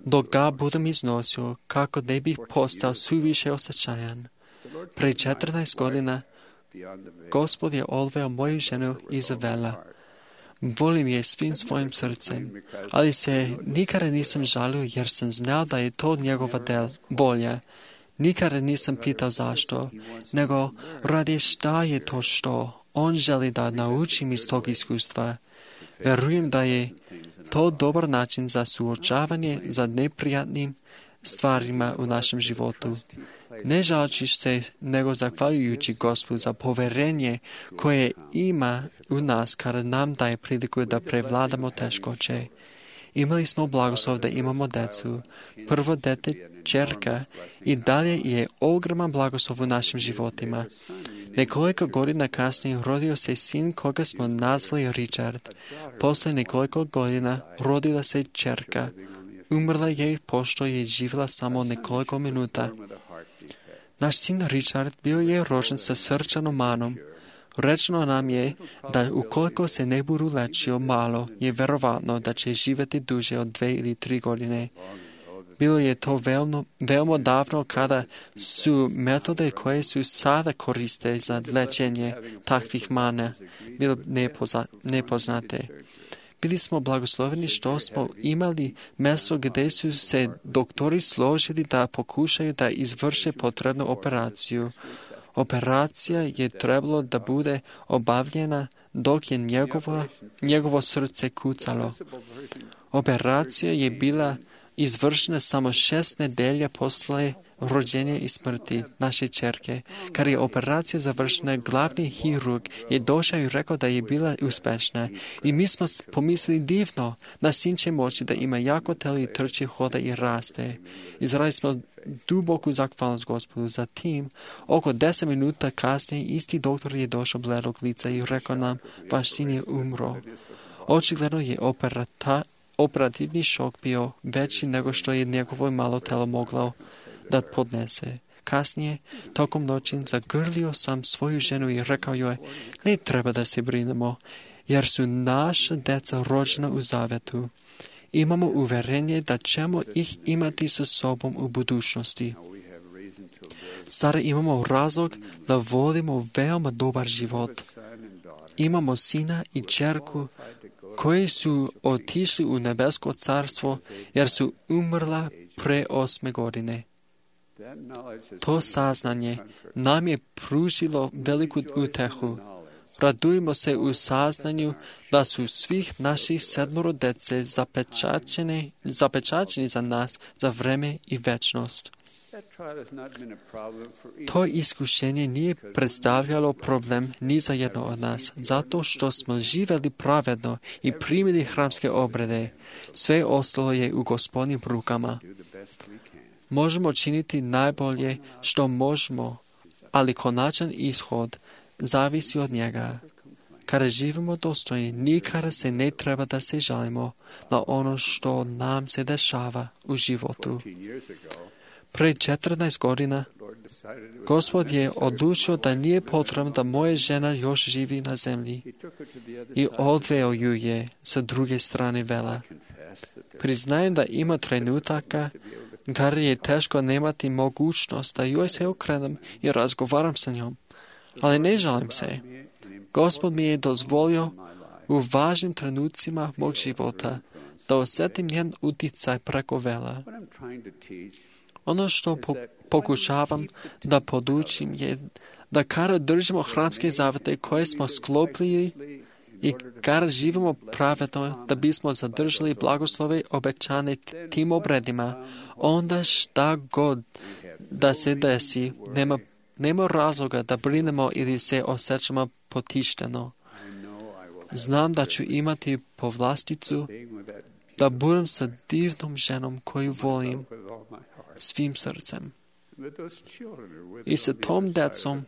F: dok ga budem iznosio, kako ne bih postao suviše osjećajan. Pre 14 godina Gospod je odveo moju ženu Izabela. Volim je svim svojim srcem, ali se nikada nisam žalio jer sam znao da je to njegova volja. Nikada nisam pitao zašto, nego radi šta je to što on želi da naučim iz tog iskustva. Verujem da je to dobar način za suočavanje za neprijatnim stvarima u našem životu. Ne žaleći se, nego zahvaljujući Gospodu za poverenje koje ima u nas kada nam daje priliku da prevladamo teškoće. Imali smo blagoslov da imamo decu. Prvo dete, ćerka, i dalje je ogroman blagoslov u našim životima. Nekoliko godina kasnije rodio se sin koga smo nazvali Richard. Posle nekoliko godina rodila se ćerka. Umrla je pošto je živjela samo nekoliko minuta. Naš sin Richard bio je rođen sa srčanom manom. Rečeno nam je da ukoliko se ne budu lečio malo, je verovatno da će živjeti duže od 2 ili 3 godine. Bilo je to veoma davno kada su metode koje su sada koriste za lečenje takvih mana bile nepoznate. Bili smo blagosloveni što smo imali mjesto gdje su se doktori složili da pokušaju da izvrše potrebnu operaciju. Operacija je trebalo da bude obavljena dok je njegovo srce kucalo. Operacija je bila izvršena samo 6 nedelja posle rođenja i smrti naše ćerke. Kad je operacija završena, glavni hirurg je došao i rekao da je bila uspešna. I mi smo pomislili divno, naš sin će moći da ima jako telo i trči, hoda i raste. Izrazili smo duboku zahvalnost Gospodu. Zatim, oko 10 minuta kasnije, isti doktor je došao bledog lica i rekao nam, vaš sin je umro. Očigledno je operativni šok bio veći nego što je njegovo malo telo moglo da podnese. Kasnije, tokom noći, zagrlio sam svoju ženu i rekao joj, ne treba da se brinemo, jer su naša deca rođena u zavetu. Imamo uverenje da ćemo ih imati sa sobom u budućnosti. Sada imamo razlog da volimo veoma dobar život. Imamo sina i ćerku koji su otišli u nebesko carstvo jer su umrla pre 8 godine. To saznanje nam je pružilo veliku utehu. Radujemo se u saznanju da su svih naših 7 dece zapečaćeni za nas za vreme i večnost. To iskušenje nije predstavljalo problem ni za jedno od nas, zato što smo živjeli pravedno i primili hramske obrede. Sve ostalo je u Gospodnjim rukama. Možemo činiti najbolje što možemo, ali konačan ishod zavisi od njega. Kada živimo dostojni, nikada se ne treba da se žalimo na ono što nam se dešava u životu. Pre 14 godina, Gospod je odlučio da nije potrebno da moja žena još živi na zemlji i odveo ju je sa druge strane vela. Priznajem da ima trenutaka kada je teško nemati mogućnost da joj se okrenem i razgovaram sa njom, ali ne žalim se. Gospod mi je dozvolio u važnim trenucima mog života da osjetim njen uticaj preko vela. Ono što pokušavam da podučim je da kada držimo hramske zavete koje smo sklopili i kada živimo pravedno da bismo zadržali blagoslove obećane tim obredima, onda šta god da se desi, nema razloga da brinemo ili se osjećamo potišteno. Znam da ću imati povlasticu da budem sa divnom ženom koju volim svim srcem. I sa tom decom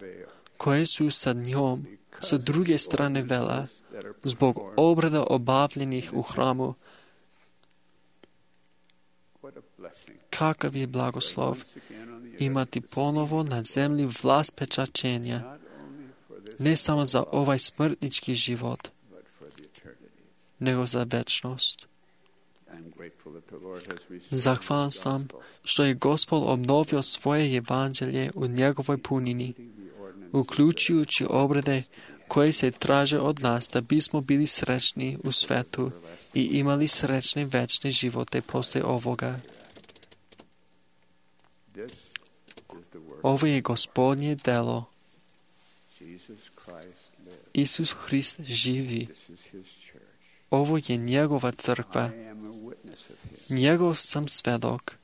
F: koje su sa njom sa druge strane vela zbog obreda obavljenih u hramu. Kakav je blagoslov imati ponovo na zemlji vlast pečaćenja, ne samo za ovaj smrtnički život, nego za večnost. Zahvalan sam što je Gospod obnovio svoje evanđelje u njegovoj punini, uključujući obrede koje se traže od nas da bismo bili srećni u svetu i imali srećne večne živote posle ovoga. Ovo je Gospodnje delo. Isus Hrist živi. Ovo je njegova crkva. Njegov sam svedok.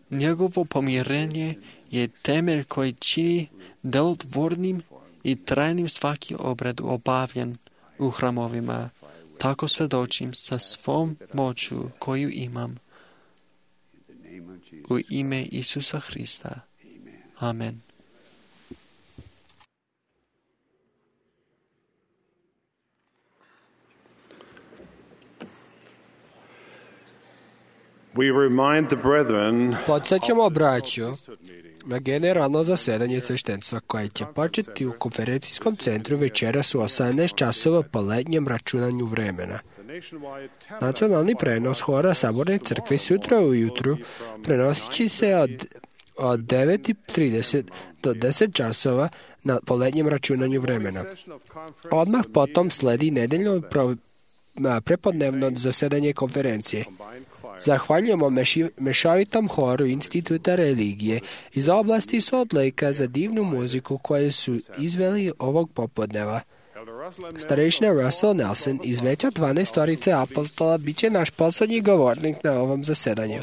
F: Njegovo pomirenje je temelj koji čini delotvornim i trajnim svaki obred obavljen u hramovima. Tako svedočim sa svom moću koju imam. U ime Isusa Hrista. Amen.
C: Podsjećamo braću na generalno zasedanje sveštenstva koje će početi u konferencijskom centru večeras u 18 časova po letnjem računanju vremena. Nacionalni prenos hora Saborne crkve sutra ujutru prenosit će se od 9:30 do 10 časova po letnjem računanju vremena. Odmah potom sledi nedeljno prepodnevno zasedanje konferencije. Zahvaljujemo mešovitom horu Instituta religije iz oblasti Salt Lakea za divnu muziku koju su izveli ovog popodneva. Starešina Russell Nelson iz Veća 12 apostola bit će naš poslednji govornik na ovom zasedanju.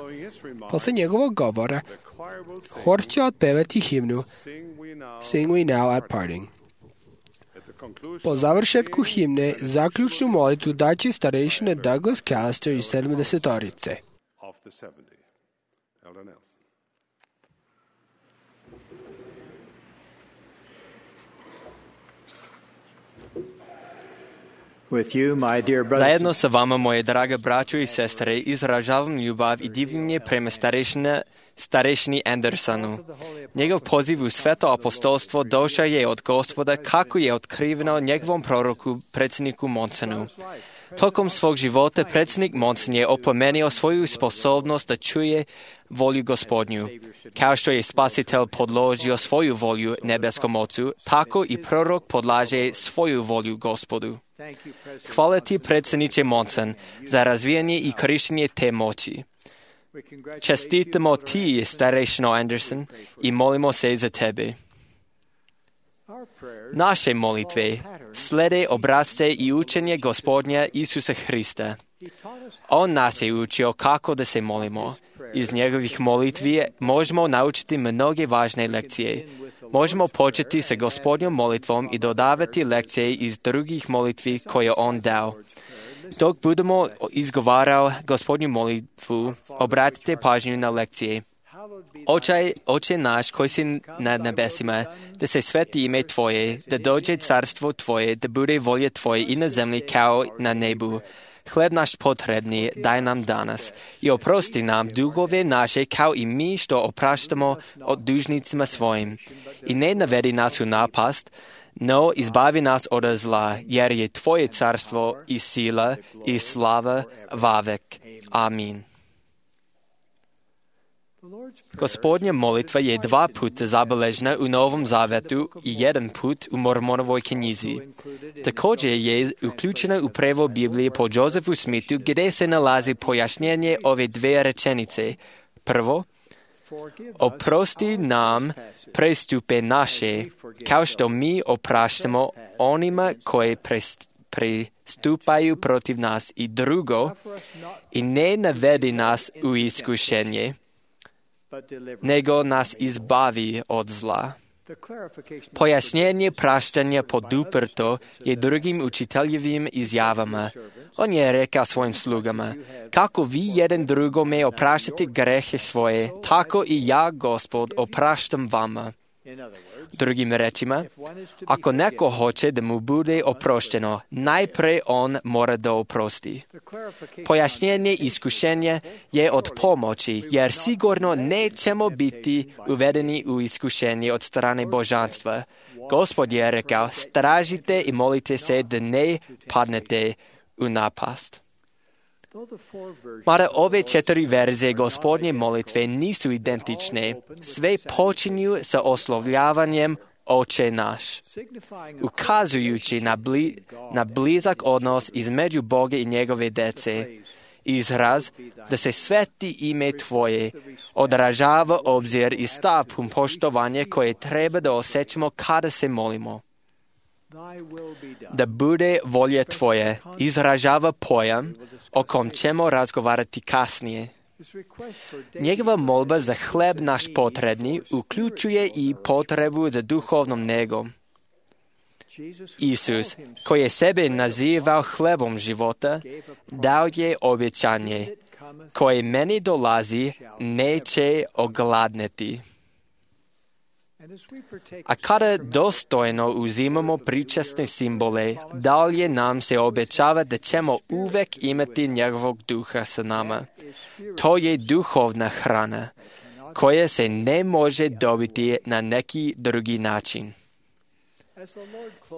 C: Posle njegovog govora Хор će otpevati himnu Sing We Now at Parting. Po završetku himne, zaključnu molitvu daće starešine Douglas Callister iz 70-orice.
B: Zajedno sa vama, moje drage braćo i sestre, izražavam ljubav i divljenje prema starešini Andersonu. Njegov poziv u sveto apostolstvo došao je od Gospoda, kako je otkriveno njegovom proroku, predsjedniku Monsonu. Tokom svog života predsjednik Monson je oplemenio svoju sposobnost da čuje volju Gospodnju. Kao što je Spasitelj podložio svoju volju nebeskom Ocu, tako i prorok podlaže svoju volju Gospodu. Hvala ti, predsjedniče Monson, za razvijanje i korištenje te moći. Čestitamo ti, starešino Anderson, i molimo se za tebe. Naše molitve slede obrazce i učenje Gospodnja Isusa Hrista. On nas je učio kako da se molimo. Iz njegovih molitvi možemo naučiti mnoge važne lekcije. Možemo početi sa Gospodnjom molitvom i dodavati lekcije iz drugih molitvi koje on dao. Dok budemo izgovarao Gospodnju molitvu, obratite pažnju na lekcije. Oče naš koji si na nebesima, da se sveti ime Tvoje, da dođe carstvo Tvoje, da bude volja Tvoje i na zemlji kao na nebu. Hleb naš potrebni daj nam danas i oprosti nam dugove naše kao i mi što opraštamo od dužnicima svojim. I ne navedi nas u napast, no izbavi nas od zla, jer je Tvoje carstvo i sila i slava vavek. Amin. Gospodnja molitva je 2 puta zabeležena u Novom Zavetu i 1 put u Mormonovoj knjizi. Također je uključena u prevod Biblije po Josephu Smithu, gdje se nalazi pojašnjenje ove 2 rečenice. Prvo, oprosti nam prestupe naše, kao što mi opraštamo onima koje prestupaju protiv nas. I drugo, i ne navedi nas u iskušenje, nego nas izbavi od zla. Pojašnjenje praštanja poduprto je drugim učiteljevim izjavama. On je rekao svojim slugama, kako vi jedan drugome opraštate grehe svoje, tako i ja, Gospod, opraštam vama. Drugim rečima, ako neko hoće da mu bude oprošteno, najprije on mora da oprosti. Pojašnjenje iskušenja je od pomoći, jer sigurno nećemo biti uvedeni u iskušenje od strane božanstva. Gospod je rekao, stražite i molite se da ne padnete u napast. Mada ove 4 verzije Gospodnje molitve nisu identične, sve počinju sa oslovljavanjem Oče naš, ukazujući na blizak odnos između Boga i njegove dece. Izraz da se sveti ime Tvoje odražava obzir i stav pun poštovanje koje treba da osjećamo kada se molimo. Da bude volja Tvoja izražava pojam o kom ćemo razgovarati kasnije. Njegova molba za hleb naš potrebni uključuje i potrebu za duhovnom negom. Isus, koji je sebe nazivao hlebom života, dao je obećanje, koje meni dolazi, neće ogladneti. A kada dostojno uzimamo pričasne simbole, dalje nam se obećava da ćemo uvek imati njegovog duha sa nama. To je duhovna hrana, koja se ne može dobiti na neki drugi način.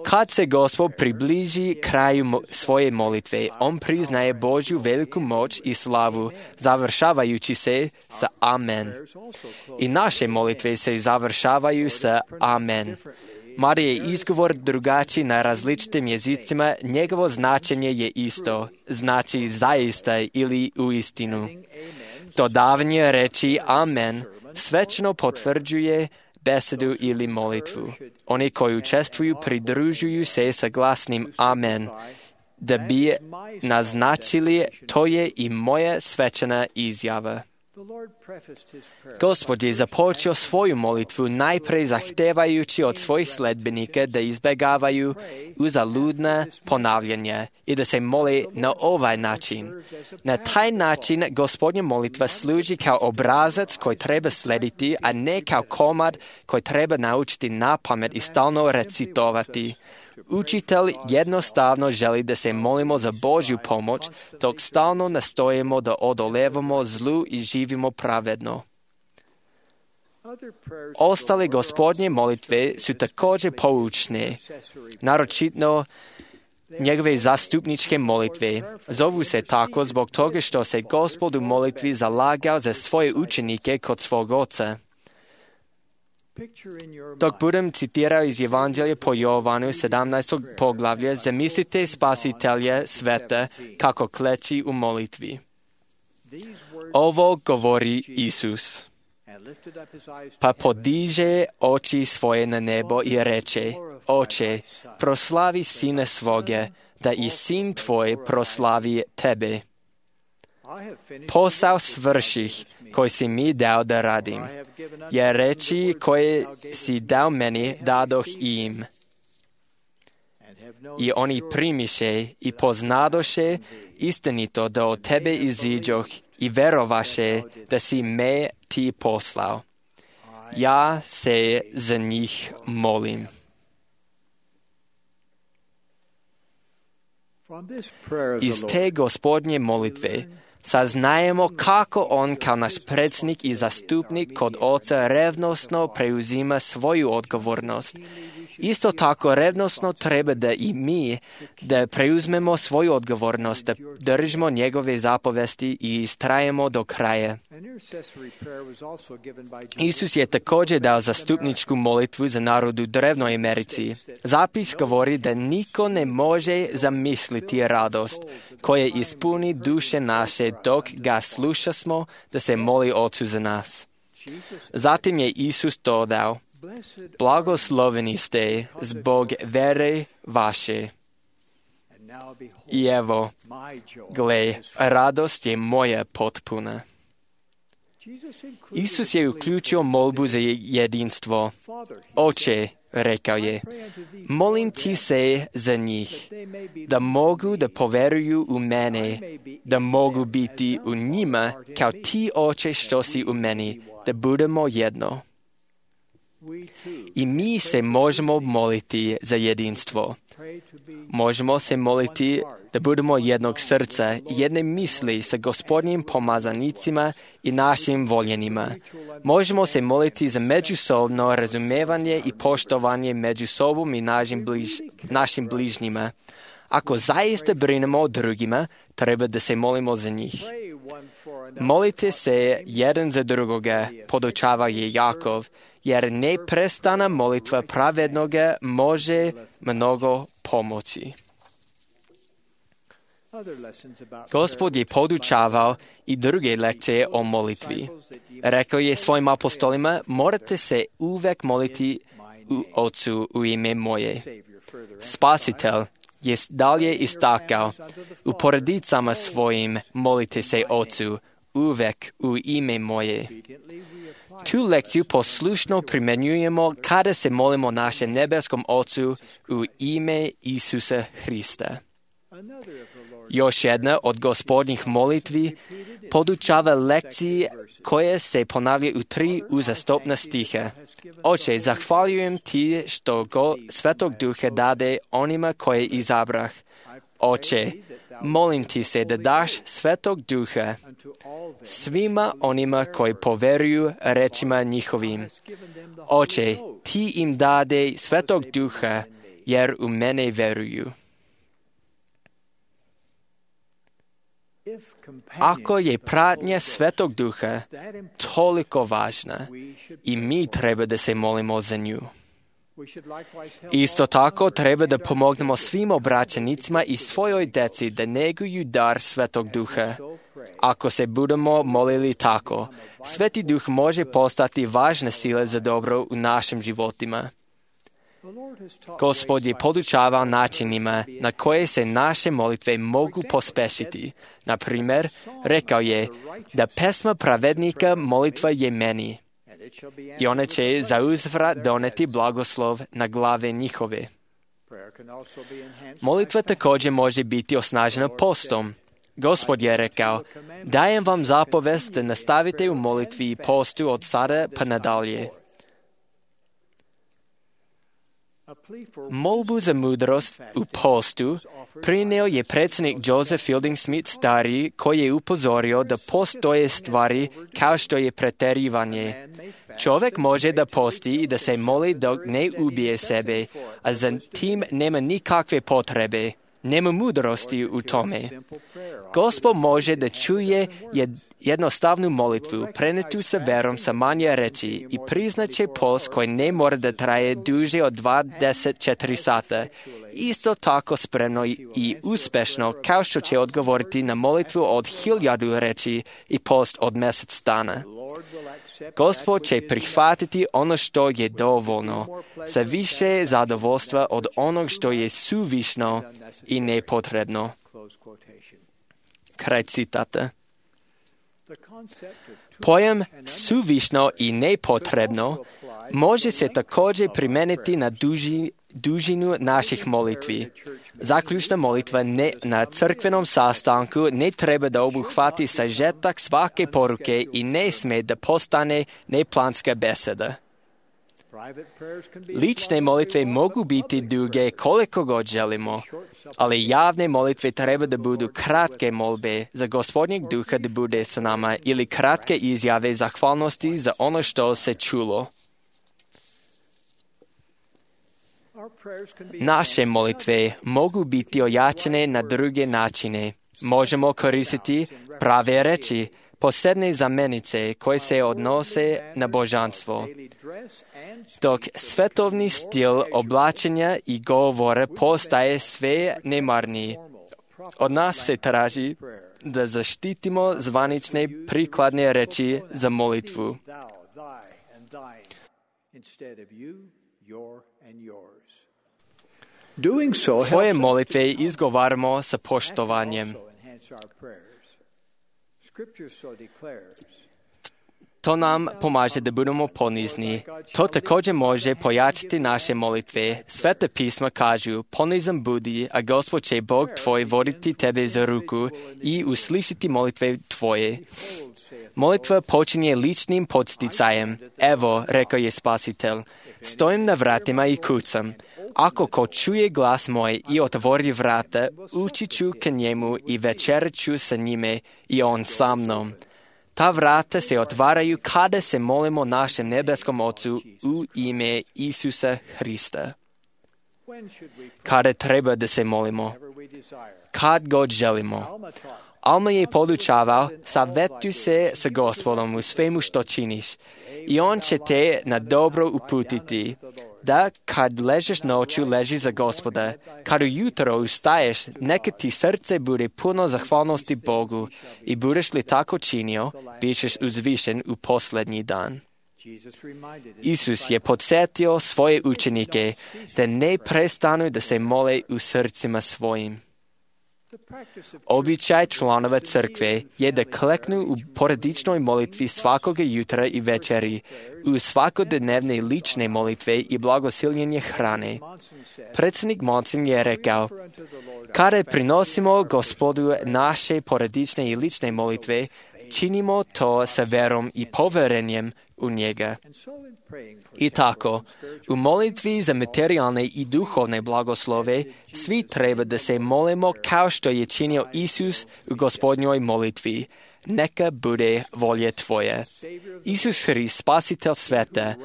B: Kad se Gospod približi kraju svoje molitve, on priznaje Božju veliku moć i slavu, završavajući se sa Amen. I naše molitve se završavaju sa Amen. Mada je izgovor drugačiji na različitim jezicima, njegovo značenje je isto, znači zaista ili uistinu. Dodavanje reči Amen svečno potvrđuje besedu ili molitvu. Oni koji učestvuju pridružuju se sa glasnim Amen, da bi naznačili to je i moja svečana izjava. Gospod je započeo svoju molitvu najprej zahtevajući od svojih sledbenika da izbjegavaju uzaludna ponavljanja i da se mole na ovaj način. Na taj način Gospodnja molitva služi kao obrazac koji treba slediti, a ne kao komad koji treba naučiti na pamet i stalno recitovati. Učitelj jednostavno želi da se molimo za Božju pomoć, dok stalno nastojimo da odolevamo zlu i živimo pravedno. Ostale Gospodnje molitve su također poučne, naročito njegove zastupničke molitve. Zovu se tako zbog toga što se Gospod u molitvi zalagao za svoje učenike kod svog Oca. Dok budem citirao iz Evanđelja po Jovanu 17. poglavlja, zamislite Spasitelja sveta kako kleči u molitvi. Ovo govori Isus. Pa podiže oči svoje na nebo i reče: Oče, proslavi Sina svoga, da i Sin tvoj proslavi tebe. Posao svrših koji si mi dao da radim, jer reči koje si dao meni dadoh im. I oni primiše i poznadoše istinito da od tebe iziđoh i verovaše da si me ti poslao. Ja se za njih molim. Iz te Gospodnje molitve saznajemo kako on kao naš predsjednik i zastupnik kod Oca revnosno preuzima svoju odgovornost. Isto tako revnosno treba da i mi da preuzmemo svoju odgovornost, da držimo njegove zapovesti i istrajemo do kraja. Isus je također dao zastupničku molitvu za narod u drevnoj Americi. Zapis govori da niko ne može zamisliti radost koja ispuni duše naše dok ga slušasmo da se moli Ocu za nas. Zatim je Isus dodao: Blagosloveni ste zbog vere vaše. I evo, gle, radost je moja potpuna. Isus je uključio molbu za jedinstvo. Oče, rekao je, molim ti se za njih, da mogu da poveruju u mene, da mogu biti u njima kao ti, Oče, što si u meni, da budemo jedno. I mi se možemo moliti za jedinstvo. Možemo se moliti da budemo jednog srca i jedne misli sa Gospodnjim pomazanicima i našim voljenima. Možemo se moliti za međusobno razumevanje i poštovanje među sobom i našim bližnjima. Ako zaista brinemo o drugima, treba da se molimo za njih. Molite se jedan za drugoga, podučava je Jakov, jer neprestana molitva pravednoga može mnogo pomoći. Gospod je podučavao i druge lekcije o molitvi. Rekao je svojim apostolima: morate se uvek moliti u Ocu u ime moje. Spasitelj je dalje istakao: u porodicama svojim molite se Ocu uvek u ime moje. Tu lekciju poslušno primjenjujemo kada se molimo našem nebeskom Ocu u ime Isusa Hrista. Još jedna od Gospodnjih molitvi podučava lekcije koje se ponavljaju u 3 uzastopna stiha. Oče, zahvaljujem ti što Svetog Duha dade onima koje izabrah. Oče, molim ti se da daš Svetog Duha svima onima koji poveruju rečima njihovim. Oče, ti im dade Svetog Duha jer u mene veruju. Ako je pratnja Svetog Duha toliko važna, i mi treba da se molimo za nju. Isto tako treba da pomognemo svim obraćenicima i svojoj deci da neguju dar Svetog Duha. Ako se budemo molili tako, Sveti Duh može postati važna sila za dobro u našim životima. Gospod je podučavao načinima na koje se naše molitve mogu pospešiti. Na primjer, rekao je da pesma pravednika molitva je meni i ona će zauzvrat doneti blagoslov na glave njihove. Molitva također može biti osnažena postom. Gospod je rekao, dajem vam zapovest da nastavite u molitvi i postu od sada pa nadalje. Molbu za mudrost u postu prineo je predsjednik Joseph Fielding Smith stariji, koji je upozorio da postoje stvari kao što je pretjerivanje. Čovjek može da posti i da se moli dok ne ubije sebe, a za tim nema nikakve potrebe. Nema mudrosti u tome. Gospod može da čuje jednostavnu molitvu, prenetu sa verom sa manje reči i priznaće post koji ne mora da traje duže od 24 sata. Isto tako spremno i uspešno kao što će odgovoriti na molitvu od 1000 reči i post od mjesec dana. Gospod će prihvatiti ono što je dovoljno, sa više zadovoljstva od onog što je suvišno i nepotrebno. Kraj citata. Pojam suvišno i nepotrebno može se također primijeniti na dužinu naših molitvi. Zaključna molitva na crkvenom sastanku ne treba da obuhvati sažetak svake poruke i ne sme da postane neplanska beseda. Lične molitve mogu biti duge koliko god želimo, ali javne molitve treba da budu kratke molbe za Gospodnjeg duha da bude sa nama ili kratke izjave zahvalnosti za ono što se čulo. Naše molitve mogu biti ojačane na druge načine. Možemo koristiti prave reči, posebne zamenice koje se odnose na božanstvo. Dok svetovni stil oblačenja i govora postaje sve nemarniji, od nas se traži da zaštitimo zvanične prikladne reči za molitvu. Svoje molitve izgovaramo sa poštovanjem. To nam pomaže da budemo ponizni. To također može pojačati naše molitve. Sveta pisma kažu, ponizan budi, a Gospod će Bog tvoj voditi tebe za ruku i uslišiti molitve tvoje. Molitva počinje ličnim podsticajem. Evo, rekao je Spasitelj, stojim na vratima i kucam. Ako ko čuje glas moj i otvori vrata, ući ću ka njemu i večerat ću sa njime i on sa mnom. Ta vrata se otvaraju kada se molimo našem nebeskom Ocu u ime Isusa Hrista. Kada treba da se molimo? Kad god želimo. Alma je podučavao, savjetuj se sa Gospodom u svemu što činiš i on će te na dobro uputiti. Da kad ležeš noću leži za Gospoda, kad ujutro ustaješ, neka ti srce bude puno zahvalnosti Bogu i budeš li tako činio, bićeš uzvišen u posljednji dan. Isus je podsjetio svoje učenike da ne prestanu da se mole u srcima svojim. Običaj članova crkve je da kleknu u porodičnoj molitvi svakoga jutra i večeri, u svakodnevne lične molitve i blagosiljenje hrane. Predsjednik Monson je rekao, kada prinosimo Gospodu naše porodične i lične molitve, činimo to sa verom i poverenjem u njega. I tako, u molitvi za materijalne i duhovne blagoslove, svi treba da se molimo kao što je činio Isus u Gospodnjoj molitvi. Neka bude volja tvoja. Isus Hrist, spasitelj sveta,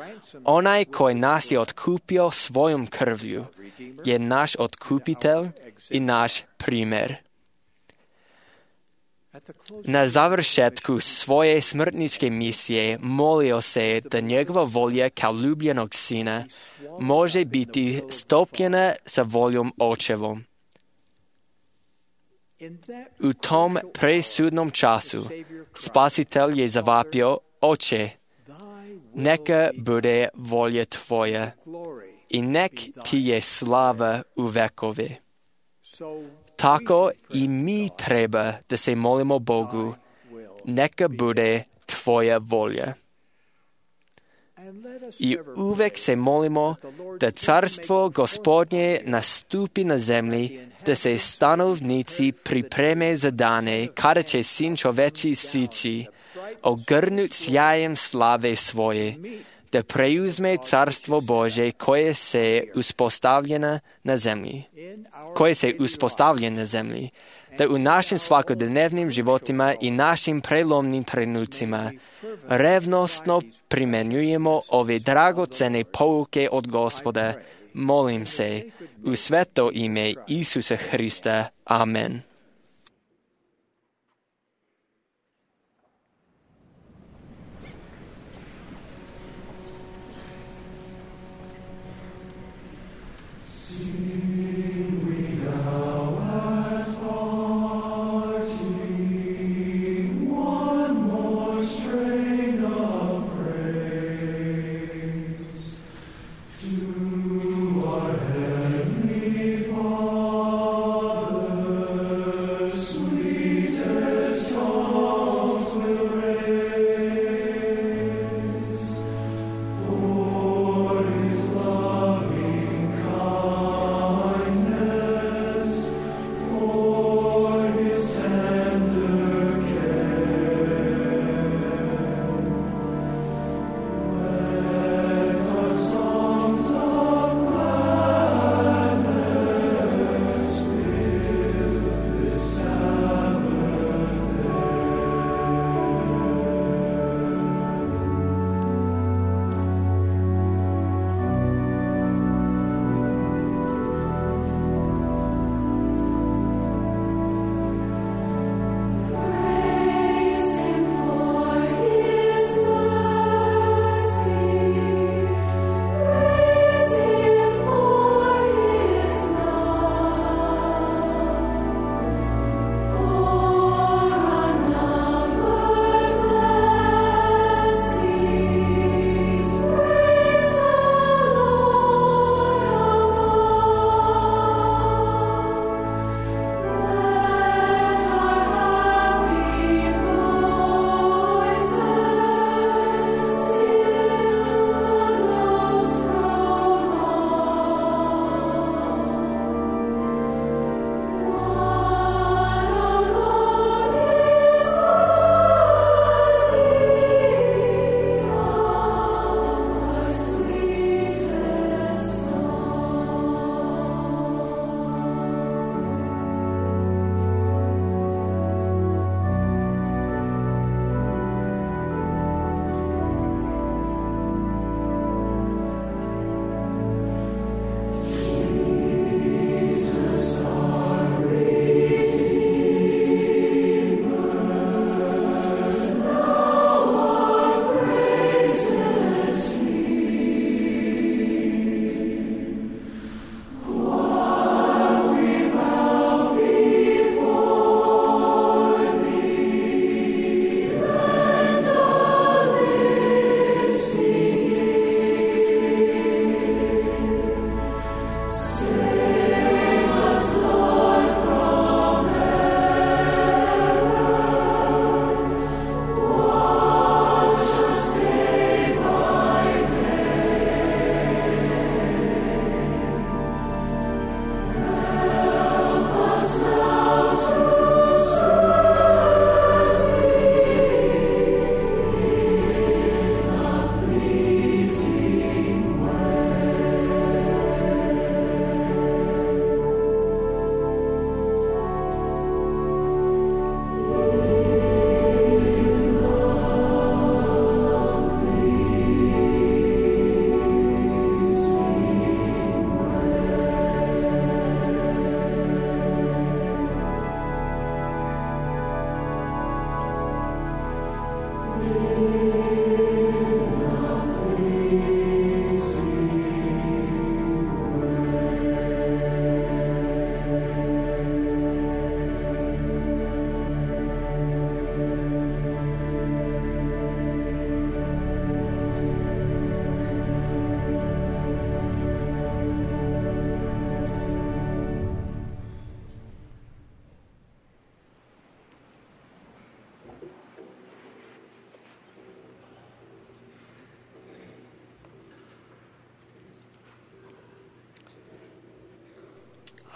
B: onaj koji nas je otkupio svojom krvlju, je naš otkupitelj i naš primjer. Na završetku svoje smrtničke misije molio se da njegova volja kao ljubljenog sina može biti stopljena sa voljom očevom. U tom presudnom času Spasitelj je zavapio, Oče, neka bude volja tvoja i nek ti je slava u vekove. Tako i mi treba da se molimo Bogu, neka bude tvoja volja. I uvek se molimo da carstvo Gospodnje nastupi na zemlji, da se stanovnici pripreme za dane kada će Sin čoveči sići, ogrnut sjajem slave svoje, da preuzme carstvo Bože koje se uspostavlja na zemlji, da u našim svakodnevnim životima i našim prelomnim trenucima revnosno primenjujemo ove dragocene pouke od Gospoda. Molim se u sveto ime Isusa Hrista. Amen.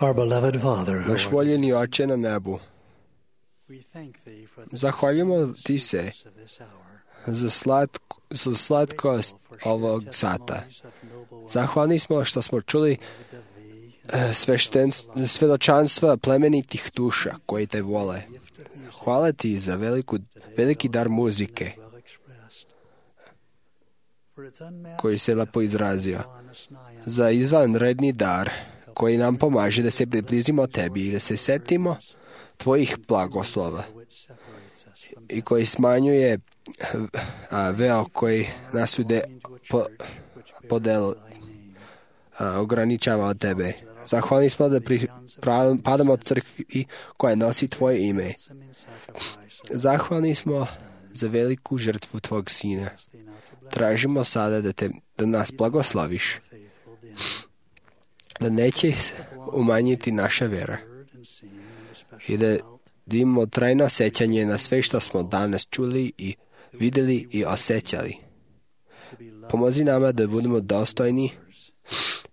J: Our beloved Father,
C: Naš voljeni Oče na nebu, zahvaljujemo Ti se za slatkost ovog sata. Zahvalni smo što smo čuli svjedočanstva plemenitih duša koji Te vole. Hvala Ti za veliki dar muzike koji se lepo izrazio, za izvanredni dar koji nam pomaže da se približimo Tebi i da se setimo Tvojih blagoslova i koji smanjuje veo koji nas ograničava od Tebe. Zahvalni smo da padamo od crkvi koja nosi Tvoje ime. Zahvalni smo za veliku žrtvu Tvog Sina. Tražimo sada da nas blagosloviš, da neće umanjiti naša vera i da imamo trajno sećanje na sve što smo danas čuli i vidjeli i osjećali. Pomozi nama da budemo dostojni,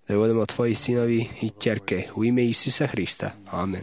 C: da budemo Tvoji sinovi i ćerke u ime Isusa Hrista. Amen.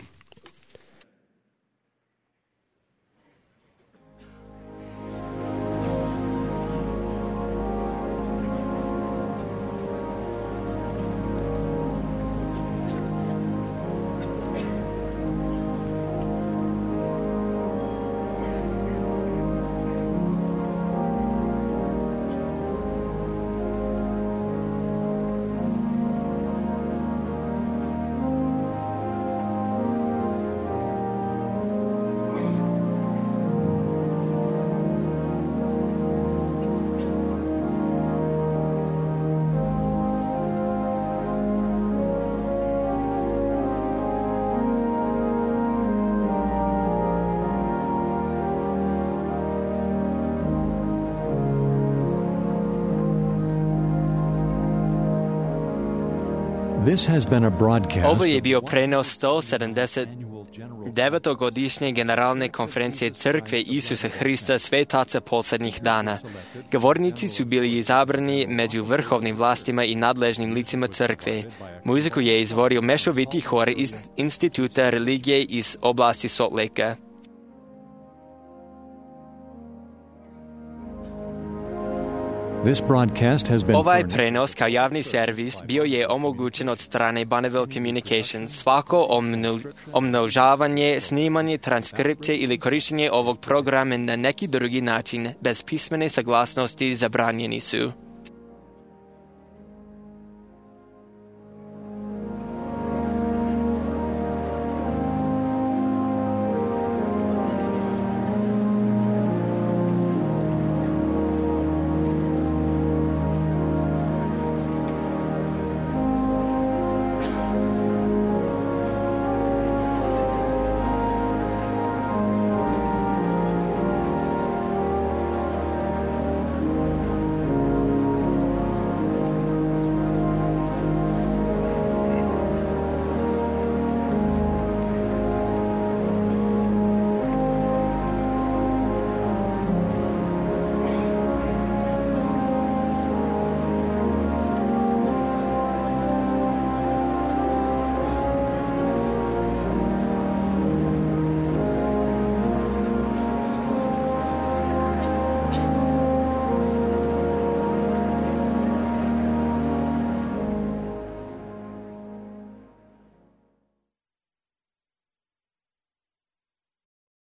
A: This has been a broadcast.
B: Ovo je bio prenos 179. godišnje generalne konferencije Crkve Isusa Hrista Svetaca posljednjih dana. Govornici su bili izabrani među vrhovnim vlastima i nadležnim licima Crkve. Muziku je izvorio mešoviti hor iz Instituta religije iz oblasti Salt Lakea. Ovaj prenos kao javni servis bio je omogućen od strane Bonneville Communications. Svako omnožavanje, snimanje, transkripcije ili korištenje ovog programa na neki drugi način bez pismene saglasnosti zabranjeni su.